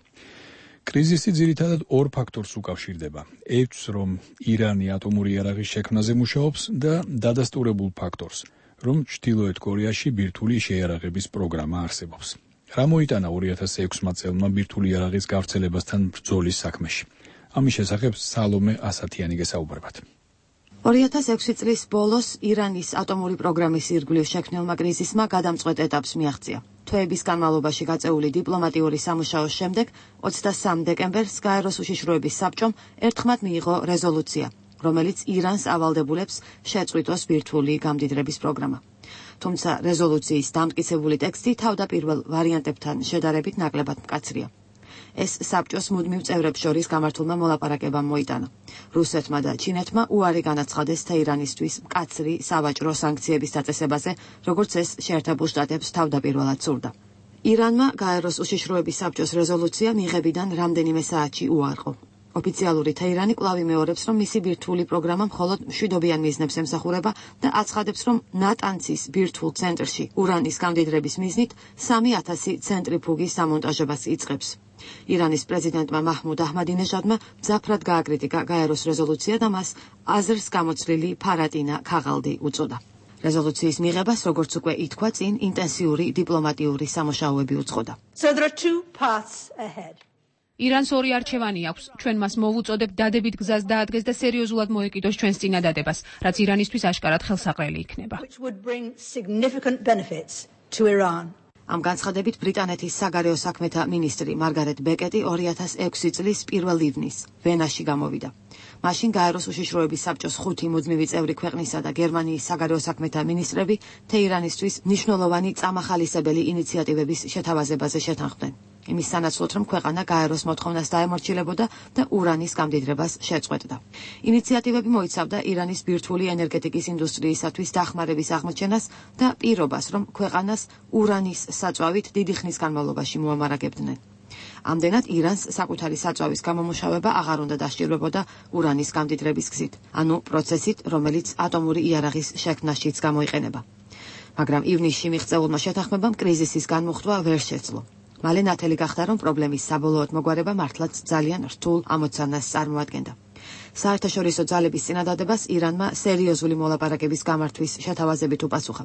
[SPEAKER 3] კრიზისი ძირითადად ორ ფაქტორს უკავშირდება. ერთს, რომ ირანი ატომური იარაღის შექმნაზე მუშაობს და დადასტურებულ ფაქტორს, რომ ჩრდილოეთ კორეაში ბირთვული შეიარაღების პროგრამა არსებობს. რა მოიტანა ორი ათას ექვსმა წელმა ბირთვული იარაღის გავრცელებასთან ბრძოლის საქმეში? ამის შესახებ სალომე ასათიანი გესაუბრებათ.
[SPEAKER 10] ორი ათას ექვსი წლის ბოლოს ირანის ატომური პროგრამის ირგვლივ შექმნილმა კრიზისმა გადამწყვეტ ეტაპს მიაღწია. თვეების განმავლობაში გაწეული დიპლომატიური სამუშაოს შემდეგ ოცდასამ დეკემბერს გაეროს უშიშროების საბჭომ ერთხმად მიიღო რეზოლუცია, რომელიც ირანს ავალდებულებს შეწყვიტოს ბირთვული გამდიდრების პროგრამა. თუმცა რეზოლუციის დამტკიცებული ტექსტი თავდაპირველ ვარიანტებთან შედარებით ნაკლებად მკაცრია. ეს საბჭოს მუდმივ წევრებს შორის გამართულმა მოლაპარაკებამ მოიტანა. რუსეთმა და ჩინეთმა უარი განაცხადეს თეირანისთვის მკაცრი სავაჭრო სანქციების დაწესებაზე, როგორც ეს შეერთებულ შტატებს თავდაპირველად სურდა. ირანმა გაეროს უშიშროების საბჭოს რეზოლუცია მიღებიდან რამდენიმე საათში უარყო. ოფიციალური თეირანი კვლავ იმეორებს, რომ მისი ბირთვული პროგრამა მხოლოდ მშვიდობიან მიზნებს ემსახურება და აცხადებს, რომ ნატანცის ბირთვულ ცენტრში ურანის გამდიდრების მიზნით სამი ათასი ცენტრიფუგის დამონტაჟებას იწყებს. ირანის პრეზიდენტმა მაჰმუდ აჰმადინეჟადმა მძაფრად გააკრიტიკა გაეროს რეზოლუცია და მას აზრს გამოცვლილი ფარატინა ქაღალდი უწოდა. რეზოლუციის მიღებას, როგორც უკვე ითქვა, წინ ინტენსიური დიპლომატიური სამუშაოები უძღოდა.
[SPEAKER 18] So there are two paths ahead. ირანს ორი არჩევანი აქვს. ჩვენ მას მოვუწოდებ დადებით გზას დაადგეს და სერიოზულად მოეკიდოს ჩვენს წინადადებას, რაც ირანისთვის აშკარად ხელსაყრელი იქნება. ამ განცხადებით ბრიტანეთის საგარეო საქმეთა მინისტრი მარგარეტ ბეკეტი ორი ათას ექვსი წლის პირველ ივნის ვენაში გამოვიდა. მაშინ გაეროს უშიშროების საბჭოს ხუთი მუდმივი წევრი ქვეყნისა და გერმანიის საგარეო საქმეთა მინისტრები თეირანისთვის მნიშვნელოვანი წამახალისებელი ინიციატივების შეთავაზებაზე შეთანხმდნენ. იმის სანაცვლოდ, რომ ქვეყანა გაეროს მოთხოვნას დაემორჩილებოდა და ურანის გამდიდრებას შეწყვეტდა. ინიციატივები მოიცავდა ირანის ბირთვული ენერგეტიკის ინდუსტრიისათვის დახმარების აღმოჩენას და პირობას, რომ ქვეყანას ურანის საწვავით დიდი ხნის განმავლობაში მოამარაგებდნენ. ამდენად ირანს საკუთარი საწვავის გამომუშავება აღარ უნდა დასჭირვებოდა ურანის გამდიდრების გზით, ანუ პროცესით, რომელიც ატომური იარაღის შექმნაშიც გამოიყენება. მაგრამ ივნისში მიღწეულმა შეთანხმებამ კრიზისის განმუხტვა ვერ შეძლო. მალე ნათელი გახდა, რომ პრობლემის საბოლოოდ მოგვარება მართლაც ძალიან რთულ ამოცანას წარმოადგენდა. საერთაშორისო ძალების წინადადებას ირანმა სერიოზული მოლაპარაკების გამართვის შეთავაზებით უპასუხა.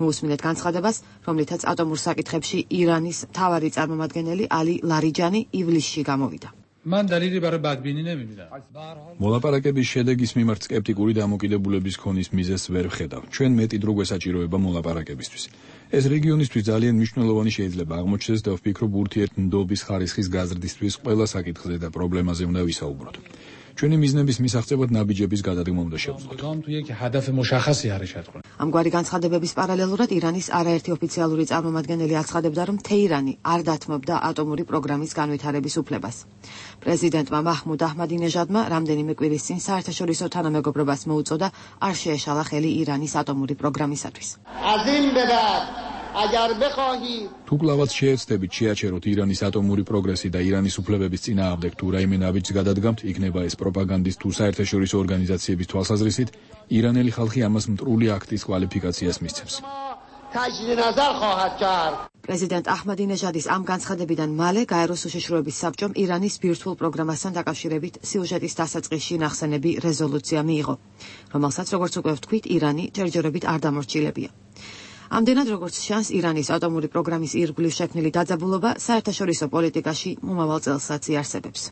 [SPEAKER 18] მოусმინეთ განცხადებას, რომლითაც ატომურ საკითხებში ირანის მთავარი წარმომადგენელი ალი ლარიჯანი ივლისში გამოვიდა.
[SPEAKER 11] მან დალილი ბარ ბადბინი ნემიდა.
[SPEAKER 3] მოლაპარაკების შედეგის მიმართ სკეპტიკური დამოკიდებულების ქონის მიზეზს ვერ ვხედავ. ჩვენ მეტი დრო გვესაჭიროება მოლაპარაკებისთვის. ეს რეგიონისთვის ძალიან მნიშვნელოვანი შეიძლება აღმოჩნდეს და ვფიქრობ ურთიერთმდობის ხარისხის გაზრდისთვის ყველა საკითხზე და პრობლემაზე უნდა ვისაუბროთ. ჩვენი მიზნების მისაღწევად ნაბიჯების გადადგმა უნდა შევძლოთ.
[SPEAKER 10] ამგვარი განცხადებების პარალელურად ირანის არაერთი ოფიციალური წარმომადგენელი აცხადებდა, რომ თეირანი არ დათმობდა ატომური პროგრამის განვითარების უფლებას. პრეზიდენტმა მაჰმუდ აჰმადინეჟადმა რამდენიმე კვირის წინ საერთაშორისო თანამეგობრობას მოუწოდა არ შეეშალა ხელი ირანის ატომური პროგრამისათვის.
[SPEAKER 3] თუ კლავაც შეეცდებით შეაჩეროთ ირანის ატომური პროგრესი და ირანის უფლებების წინააღმდეგ თუ რაიმე ნაბიჯს გადადგამთ, იქნება ეს პროპაგანდის თუ საერთაშორისო ორგანიზაციების თვალსაზრისით, ირანელი ხალხი ამას მტრული აქტის კვალიფიკაციას მისცემს.
[SPEAKER 10] პრეზიდენტ აჰმადინეჟადის ამ განცხადებიდან მალე გაეროს უშიშროების საბჭომ ირანის ბირთვულ პროგრამასთან დაკავშირებით სიუჟეტის დასაწყისში ნახსენები რეზოლუცია მიიღო, რომელსაც როგორც უკვე ვთქვით, ირანი ჯერჯერობით არ დამორჩილებია. ამდენად როგორც ჩანს, ირანის ატომური პროგრამის ირგვლივ შექმნილი დაძაბულობა საერთაშორისო პოლიტიკაში მომავალ წელსაც იარსებებს.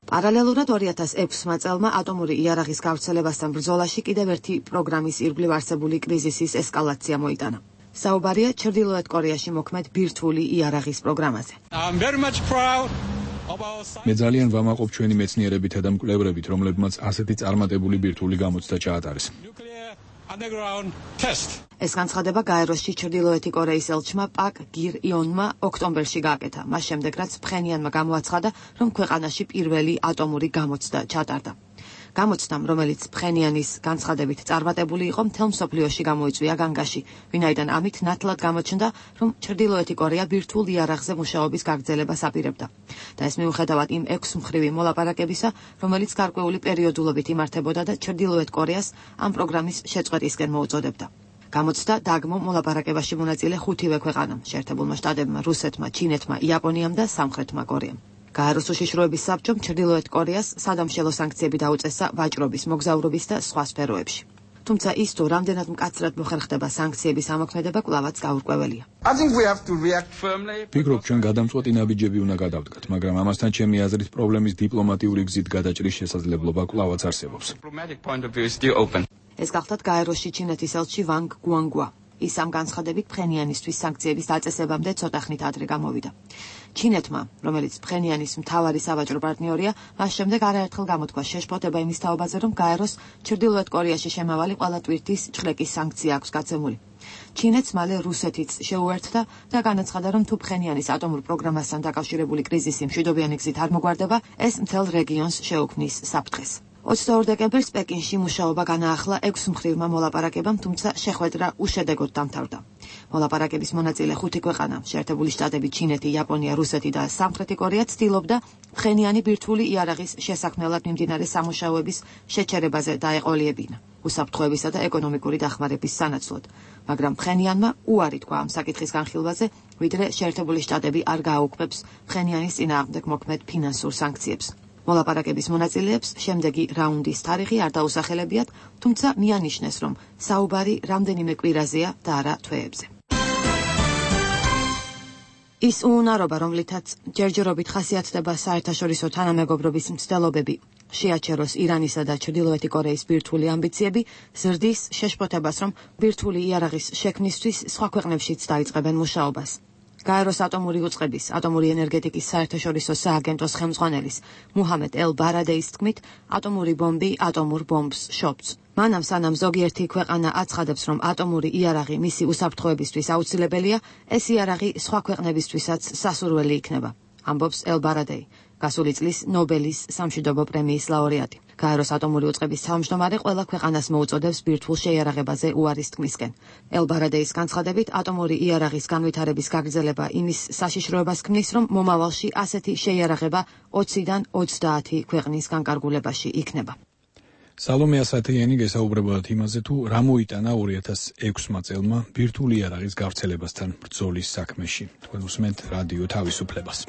[SPEAKER 10] პარალელურად ორი ათას ექვსმა წელმა ატომური იარაღის გავრცელებასთან ბრძოლაში კიდევ ერთი პროგრამის ირგვლივ არსებული კრიზისის ესკალაცია მოიტანა. საუბარია ჩრდილოეთ კორეაში მოქმედ ბირთვული იარაღის პროგრამაზე.
[SPEAKER 3] მე ძალიან ვამაყობ ჩვენი მეცნიერებითა და მკვლევრებით, რომლებმაც ასეთი წარმატებული ბირთვული გამოცდა ჩაატარეს.
[SPEAKER 10] ეს განცხადება გაეროში ჩრდილოეთი კორეის ელჩმა პაკ გირ იონმა ოქტომბერში გააკეთა, მას შემდეგ რაც ფხენიანმა გამოაცხადა, რომ ქვეყანაში პირველი ატომური გამოცდა ჩატარდა. გამოცდამ, რომელიც ფხენიანის განცხადებით წარმატებული იყო, მთელ მსოფლიოში გამოიწვია განგაში, ვინაიდან ამით ნათლად გამოჩნდა, რომ ჩრდილოეთი კორეა ბირთვულ იარაღზე მუშაობის გაგრძელებას აპირებდა. და ეს მიუხედავად იმ ექვსმხრივი მოლაპარაკებისა, რომელიც გარკვეული პერიოდულობით იმართებოდა და ჩრდილოეთ კორეას ამ პროგრამის შეწყვეტისკენ მოუწოდებდა. გამოცდა დაგმო მოლაპარაკებაში მონაწილე ხუთივე ქვეყანამ, შეერთებულმა შტატებმა, რუსეთმა, ჩინეთმა, იაპონიამ და სამხრეთმა კორეამ. გაეროს უშიშროების საბჭომ ჩრდილოეთ კორეას სადამშელო სანქციები დაუწესა ვაჭრობის, მოგზაურობის და სხვა სფეროებში. თუმცა ის თუ რამდენად მკაცრად მოხერხდება სანქციების ამოქმედება კვლავაც გაურკვეველია.
[SPEAKER 3] ვფიქრობ, ჩვენ გადამწყვეტი ნაბიჯები უნდა გადავდგათ, მაგრამ ამასთან ჩემი აზრით პრობლემის დიპლომატიური გზით გადაჭრის შესაძლებლობა კვლავაც არსებობს.
[SPEAKER 10] ეს გახლავთ გაეროში ჩინეთის ელჩი ვანგ გუანგვა. ის ამ განცხადებით ფხენიანისთვის სანქციების დაწესებამდე ცოტა ხნით ადრე გამოვიდა. ჩინეთმა, რომელიც ფხენიანის მთავარი სავაჭრო პარტნიორია, მას შემდეგ არაერთხელ გამოთქვა შეშფოთება იმის თაობაზე, რომ გაეროს ჩრდილოეთ კორეაში შემავალი ყველა ტვირთის ჭხრეკის სანქცია აქვს გაცემული. ჩინეთს მალე რუსეთიც შეუერთდა და განაცხადა, რომ თუ ფხენიანის ატომურ პროგრამასთან დაკავშირებული კრიზისი მშვიდობიანი გზით არ მოგვარდება, ეს მთელ რეგიონს შეუქმნის საფრთხეს. ოცდაორ დეკემბერს პეკინში მუშაობა განაახლა ექვსმხრივმა მოლაპარაკებამ, თუმცა შეხვედრა უშედეგოდ დამთავრდა. მოლაპარაკების მონაწილე ხუთი ქვეყანა, შეერთებული შტატები, ჩინეთი, იაპონია, რუსეთი და სამხრეთი კორეა ცდილობდა ფხენიანი ბირთვული იარაღის შესაქმნელად მიმდინარე სამუშაოების შეჩერებაზე დაეყოლიებინა, უსაფრთხოებისა და ეკონომიკური დახმარების სანაცვლოდ, მაგრამ ფხენიანმა უარი თქვა ამ საკითხის განხილვაზე, ვიდრე შეერთებული შტატები არ გააუქმებს ფხენიანის წინააღმდეგ მოქმედ ფინანსურ სანქციებს. მოლაპარაკების მონაწილეებს შემდეგი რაუნდის თარიღი არ დაუსახელებიათ, თუმცა მიანიშნეს, რომ საუბარი რამდენიმე კვირაზეა და არა თვეებზე. ის უუნარობა, რომლითაც ჯერჯერობით ხასიათდება საერთაშორისო თანამეგობრობის მცდელობები, შეაჩეროს ირანისა და ჩრდილოეთი კორეის ბირთვული ამბიციები, ზრდის შეშფოთებას, რომ ბირთვული იარაღის შექმნისთვის სხვა ქვეყნებშიც დაიწყებენ მუშაობას. გაეროს ატომური უწყების, ატომური ენერგეტიკის საერთაშორისო სააგენტოს ხელმძღვანელის მუჰამედ ელ ბარადეის თქმით, ატომური ბომბი ატომურ ბომბს შობts. მანამ სანამ ზოგიერთი ქვეყანა აცხადებს, რომ ატომური იარაღი მისი უსაფრთხოებისთვის აუცილებელია, ეს იარაღი სხვა ქვეყნებისთვისაც სასურველი იქნება, ამბობს ელ ბარადეი, გასული წლის ნობელის სამშვიდობო პრემიის ლაურეატი. გაეროს ატომური უწყების თავმჯდომარე ყველა ქვეყანას მოუწოდებს ბირთვულ შეიარაღებაზე უარის თქმისკენ. ელ ბარადეის განცხადებით, ატომური იარაღის განვითარების გაგრძელება იმის საშიშროებას ქმნის, რომ მომავალში ასეთი შეიარაღება ოციდან ოცდაათი ქვეყნის განკარგულებაში იქნება.
[SPEAKER 3] სალომე ასათიანი გესაუბრებოდა იმაზე, თუ რა მოიტანა ორი ათას ექვსმა წელმა ბირთვული იარაღის გავრცელებასთან ბრძოლის საქმეში. თქვენ უსმენთ რადიო თავისუფლებას.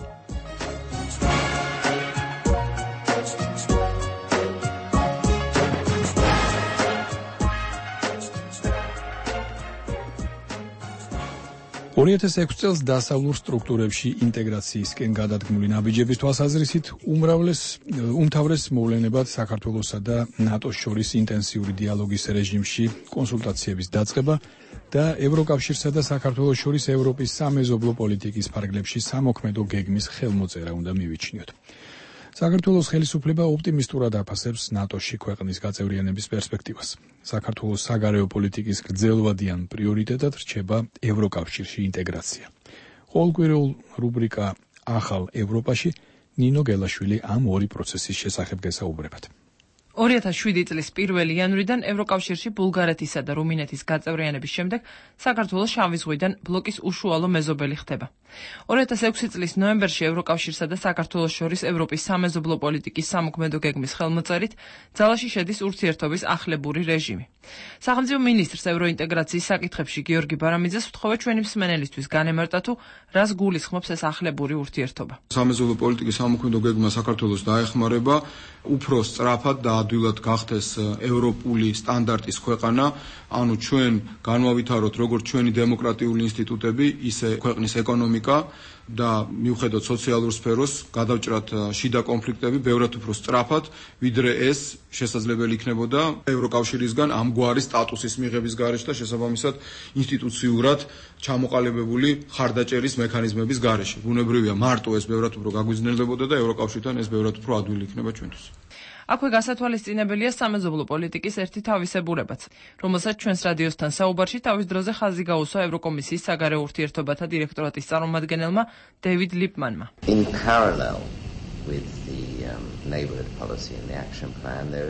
[SPEAKER 3] ორი ათას ექვსი წელს დასავლურ სტრუქტურებში ინტეგრაციისკენ გადადგმული ნაბიჯების თვალსაზრისით უმრავლეს უმთავრეს მოვლენებად საქართველოსა და ნატოს შორის ინტენსიური დიალოგის რეჟიმში კონსულტაციების დაწყება და ევროკავშირსა და საქართველოს შორის ევროპის სამეზობლო პოლიტიკის ფარგლებში სამოქმედო გეგმის ხელმოწერა უნდა მივიჩნიოთ. საქართველოს ხელისუფლება ოპტიმისტურად აფასებს ნატოში ქვეყნის გაწევრიანების პერსპექტივას. საქართველოს საგარეო პოლიტიკის გრძელვადიან პრიორიტეტად რჩება ევროკავშირში ინტეგრაცია. ყოველკვირეულ რუბრიკა ახალ ევროპაში ნინო გელაშვილი ამ ორი პროცესის შესახებ გესაუბრებათ.
[SPEAKER 12] ორი ათას შვიდი წლის პირველი იანვრიდან ევროკავშირში ბულგარეთისა და რუმინეთის გაწევრიანების შემდეგ საქართველოს შავი ზღვიდან ბლოკის უშუალო მეზობელი ხდება. ორი ათას ექვსი წლის ნოემბერში ევროკავშირსა და საქართველოს შორის ევროპის სამეზობლო პოლიტიკის სამოქმედო გეგმის ხელმოწერით ძალაში შედის ურთიერთობის ახლებური რეჟიმი. სახელმწიფო მინისტრს ევროინტეგრაციის საკითხებში გიორგი ბარამიძეს ვთხოვე ჩვენი მსმენელისთვის განემარტა თუ რას გულისხმობს ეს ახლებური ურთიერთობა.
[SPEAKER 13] სამეზობლო პოლიტიკის სამოქმედო გეგმა საქართველოს დაეხმარება უფრო სწრაფად და ადვილად გახდეს ევროპული სტანდარტის ქვეყანა, ანუ ჩვენ განვავითაროთ როგორც ჩვენი დემოკრატიული ინსტიტუტები, ისე ქვეყნის ეკონომიკა და მიუხედავად სოციალურ სფეროს გადავჭრათ შიდა კონფლიქტები ბევრად უფრო სწრაფად, ვიდრე ეს შესაძლებელი იქნებოდა ევროკავშირისგან ამგვარი სტატუსის მიღების გარეშე და შესაბამისად ინსტიტუციურად ჩამოყალიბებული ხარდაჭერის მექანიზმების გარეშე. ბუნებრივია, მარტო ეს ბევრად უფრო გაგვიზნელებოდა და ევროკავშირთან ეს ბევრად უფრო ადვილი იქნება ჩვენთვის.
[SPEAKER 12] აქვე გასათვალისწინებელია სამეზობლო პოლიტიკის ერთი თავისებურებაც, რომელსაც ჩვენს რადიოსთან საუბარში თავის დროზე ხაზი გაუსვა ევროკომისიის საგარეო ურთიერთობათა დირექტორატის წარმომადგენელმა დევიდ ლიპმანმა.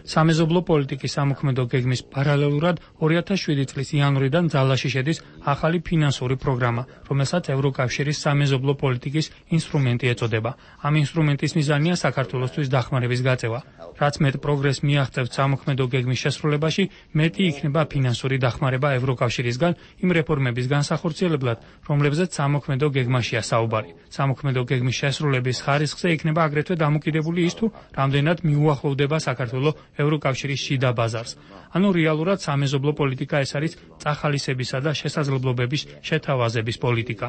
[SPEAKER 11] სამეზობლო პოლიტიკის სამოქმედო გეგმის პარალელურად ორი ათას შვიდი წლის იანვრიდან ძალაში შედის ახალი ფინანსური პროგრამა, რომელსაც ევროკავშირის სამეზობლო პოლიტიკის ინსტრუმენტი ეწოდება. ამ ინსტრუმენტის მიზანია საქართველოსთვის დახმარების გაწევა. რაც მეტ პროგრესს მიაღწევთ სამოქმედო გეგმის შესრულებაში, მეტი იქნება ფინანსური დახმარება ევროკავშირისგან იმ რეფორმების განსახორციელებლად, რომლებზეც სამოქმედო გეგმაშია საუბარი. სამოქმედო გეგმის შესრულების ხარისხზე იქნება აგრეთვე დამოკიდებული ის თუ რამდენად მიუახლოვდება საქართველო ევროკავშირის შიდა ბაზარს. ანუ რეალურად სამეზობლო პოლიტიკა ეს არის წახალისებისა და შესაძლებლობების შეთავაზების პოლიტიკა.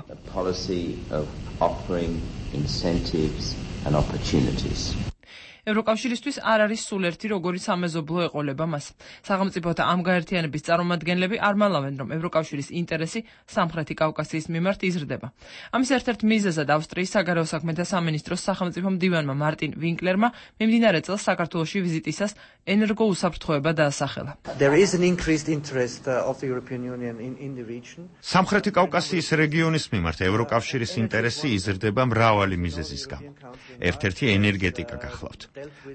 [SPEAKER 12] ევროკავშირისთვის არ არის სულ ერთი როგორი სამეზობლო ეყოლება მას. სახელმწიფოთა ამ გაერთიანების წარმომადგენლები არ მალავენ, რომ ევროკავშირის ინტერესი სამხრეთი კავკასიის მიმართ იზრდება. ამის ერთ-ერთ მიზეზად ავსტრიის საგარეო საქმეთა სამინისტროს სახელმწიფო მდივანმა მარტინ ვინკლერმა მიმდინარე წელს საქართველოში ვიზიტისას ენერგო უსაფრთხოება დაასახელა.
[SPEAKER 14] სამხრეთი კავკასიის რეგიონის მიმართ ევროკავშირის ინტერესი იზრდება მრავალი მიზეზის გამო. ერთ-ერთი ენერგეტიკა გახლავთ.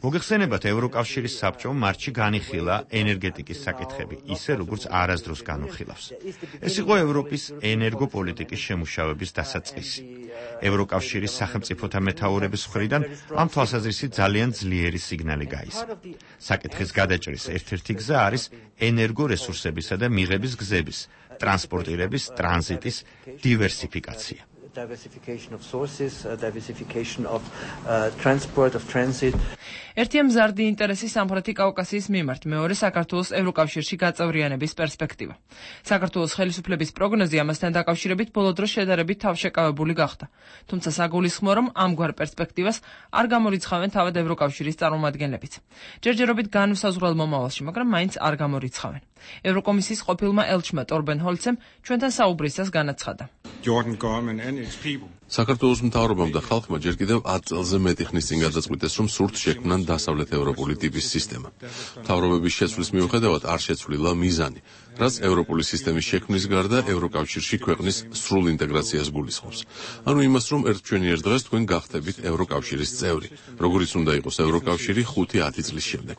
[SPEAKER 14] მოგეხსენებათ, ევროკავშირის საბჭომ მარტში განიხილა ენერგეტიკის საკითხები, ისე როგორც არასდროს განუხილავს. ეს იყო ევროპის ენერგოპოლიტიკის შემუშავების დასაწყისი. ევროკავშირის სახელმწიფოთა მეთაურების მხრიდან ამ თვალსაზრისით ძალიან ძლიერი სიგნალი გაისმა. საკითხის გადაჭრის ერთ-ერთი გზა არის ენერგორესურსებისა და მიღების გზების, ტრანსპორტირების, ტრანზიტის დივერსიფიკაცია.
[SPEAKER 12] diversification of sources, uh, diversification of uh, transport, of transit. ერთია მზარდი ინტერესი სამხრეთი კავკასიის მიმართ, მეორე საქართველოს ევროკავშირში გაწევრიანების პერსპექტივა. საქართველოს ხელისუფლების პროგნოზი ამასთან დაკავშირებით ბოლო დროს შედარებით თავშეკავებული გახდა. თუმცა საგულისხმოა, რომ ამგვარ პერსპექტივას არ გამორიცხავენ თავად ევროკავშირის წარმომადგენლებიც. ჯერჯერობით განუსაზღვრელ მომავალში, მაგრამ მაინც არ გამორიცხავენ. ევროკომისიის ყოფილმა ელჩმა ტორბენ ჰოლცემ ჩვენთან საუბრისას განაცხადა.
[SPEAKER 16] საქართველოს მთავრობამ და ხალხმა ჯერ კიდევ ათ წელზე მეტი ხნის წინ გადაწყვიტეს, რომ სურთ შექმნან დასავლეთ ევროპული ტიპის სისტემა. მთავრობების შეცვლის მიუხედავად არ შეცვლილა მიზანი, რაც ევროპული სისტემის შექმნის გარდა ევროკავშირში ქვეყნის სრულ ინტეგრაციას გულისხმობს. ანუ იმას, რომ ერთჩვენიერ დღეს თქვენ გახდებით ევროკავშირის წევრი, როგორიც უნდა იყოს ევროკავშირი ხუთი-ათი წლის შემდეგ.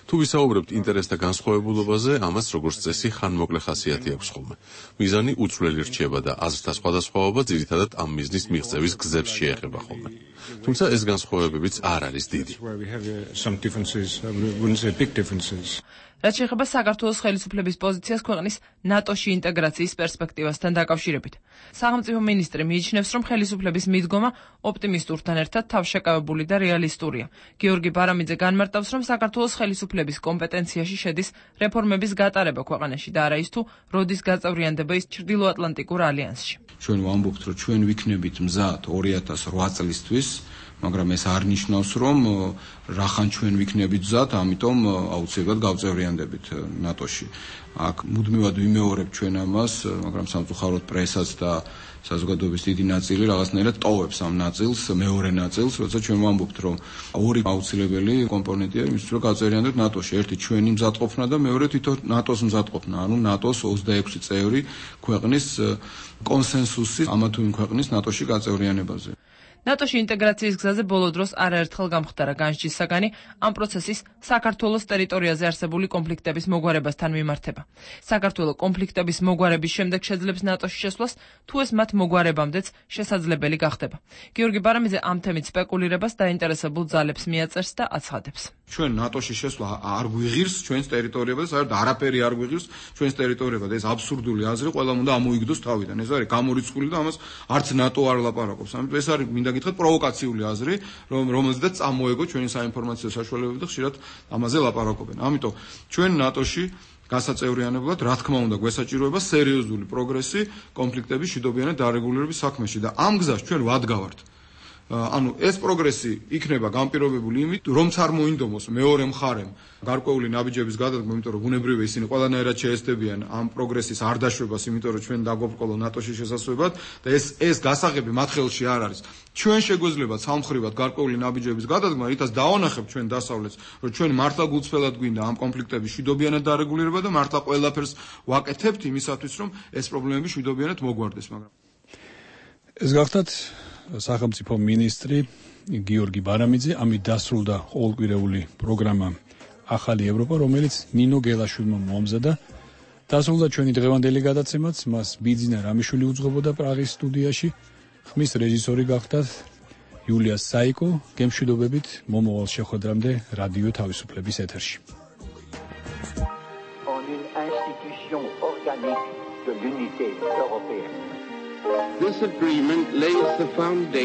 [SPEAKER 16] თუ ვისაუბრებთ ინტერესთა განსხვავებულობაზე, ამას როგორც წესი ხანმოკლე ხასიათი აქვს ხოლმე. მიზანი უცვლელი რჩება და აზრთა სხვადასხვაობა ძირითადად ამ მიზნის მიღწევის გზებს შეეხება ხოლმე. თუმცა ეს განსხვავებებიც არ არის დიდი.
[SPEAKER 12] რაც შეეხება საქართველოს ხელისუფლების პოზიციას კონფერენციას ქვეყნის ნატოში ინტეგრაციის პერსპექტივასთან დაკავშირებით. სახელმწიფო მინისტრი მიიჩნევს, რომ ხელისუფლების მიდგომა ოპტიმისტურთან ერთად თავშეკავებული და რეალისტურია. გიორგი ბარამიძე განმარტავს, რომ საქართველოს ხელისუფლების კომპეტენციაში შედის რეფორმების გატარება ქვეყანაში და არა ის თუ როდის გაწევრიანდება ის ჩრდილოატლანტიკურ ალიანსში.
[SPEAKER 13] ჩვენ ვამბობთ, რომ ჩვენ ვიქნებით მზად ორი ათას რვა წლისთვის, მაგრამ ეს არ ნიშნავს, რომ რახან ჩვენ ვიქნებით მზად, ამიტომ აუცილებლად გავწევრიანდებით ნატოში. აქ მუდმივად ვიმეორებ ჩვენ ამას, მაგრამ სამწუხაროდ პრესაც და საზოგადოების დიდი ნაწილი რაღაცნაირად ტოვებს ამ ნაწილს, მეორე ნაწილს, როცა ჩვენ ვამბობთ, რომ ორი აუცილებელი კომპონენტია იმისთვის, რომ გავწევრიანდეთ ნატოში. ერთი ჩვენი მზადყოფნა და მეორე თვითონ ნატოს მზადყოფნა, ანუ ნატოს ოცდაექვსი წევრი ქვეყნის კონსენსუსი ამა თუ იმ ქვეყნის ნატოში გაწევრიანებაზე.
[SPEAKER 12] ნატოში ინტეგრაციის გზაზე ბოლო დროს არაერთხელ გამხდარა განსჯის საგანი ამ პროცესის საქართველოს ტერიტორიაზე არსებული კონფლიქტების მოგვარებასთან მიმართება. საქართველოს კონფლიქტების მოგვარების შემდეგ შეძლებს ნატოში შესვლას, თუ ეს მათ მოგვარებამდეც შესაძლებელი გახდება. გიორგი ბარამიძე ამ თემით სპეკულირებას დაინტერესებულ ძალებს მიაწერს და აცხადებს.
[SPEAKER 13] ჩვენ ნატოში შესვლა არ გვიღირს ჩვენს ტერიტორიებაზე, საერთოდ არაფერი არ გვიღირს ჩვენს ტერიტორიებაზე. ეს აბსურდული აზრი ყველამ უნდა ამოიგდოს თავიდან. ეს არის გამორიცხული და ამას არც ნატო არ ლაპარაკობს. ამიტომ ეს არის მინდა გითხრათ პროვოკაციული აზრი, რომ რომელზედაც წამოეგო ჩვენი საინფორმაციო საშუალებები და ხშირად ამაზე ლაპარაკობენ. ამიტომ ჩვენ ნატოში გასაწევრიანებლად, რა თქმა უნდა, გვესაჭიროება სერიოზული პროგრესი კონფლიქტების მშვიდობიანი დარეგულირების საქმეში და ამ გზას ჩვენ ვადგავართ. ანუ ეს პროგრესი იქნება განპირობებული იმით, რომც არ მოინდომოს მეორე მხარემ გარკვეული ნაბიჯების გადადგმა, იმიტომ რომ ბუნებრივია ისინი ყველანაირად შეესწებიან ამ პროგრესის არ დაშვებას, იმიტომ რომ ჩვენ დაგვაბრკოლო ნატოში შესასვლელად და ეს ეს გასაღები მათ ხელში არ არის. ჩვენ შეგვეძლება სამხრივად გარკვეული ნაბიჯების გადადგმა, რითაც დავანახებთ ჩვენ დასავლეთს, რომ ჩვენ მართლა გულწრფელად გვინდა ამ კონფლიქტების მშვიდობიანად დარეგულირება და მართლა ყველაფერს ვაკეთებთ იმისათვის, რომ ეს პრობლემები მშვიდობიანად მოგვარდეს, მაგრამ
[SPEAKER 3] ეს გახდათ სახელმწიფო მინისტრი გიორგი ბარამიძე. ამით დასრულდა ყოველკვირეული პროგრამა ახალი ევროპა, რომელიც ნინო გელაშვილმა მოამზადა. დასრულდა ჩვენი დღევანდელი გადაცემაც, მას ბიძინა რამიშვილი უძღვებოდა პრაღის სტუდიაში. ხმის რეჟისორი გახდათ იულია საიკო. გემშვიდობებით მომავალ შეხვედრამდე რადიო თავისუფლების ეთერში.
[SPEAKER 15] En une institution organique de l'unité européenne.
[SPEAKER 17] This agreement lays the foundation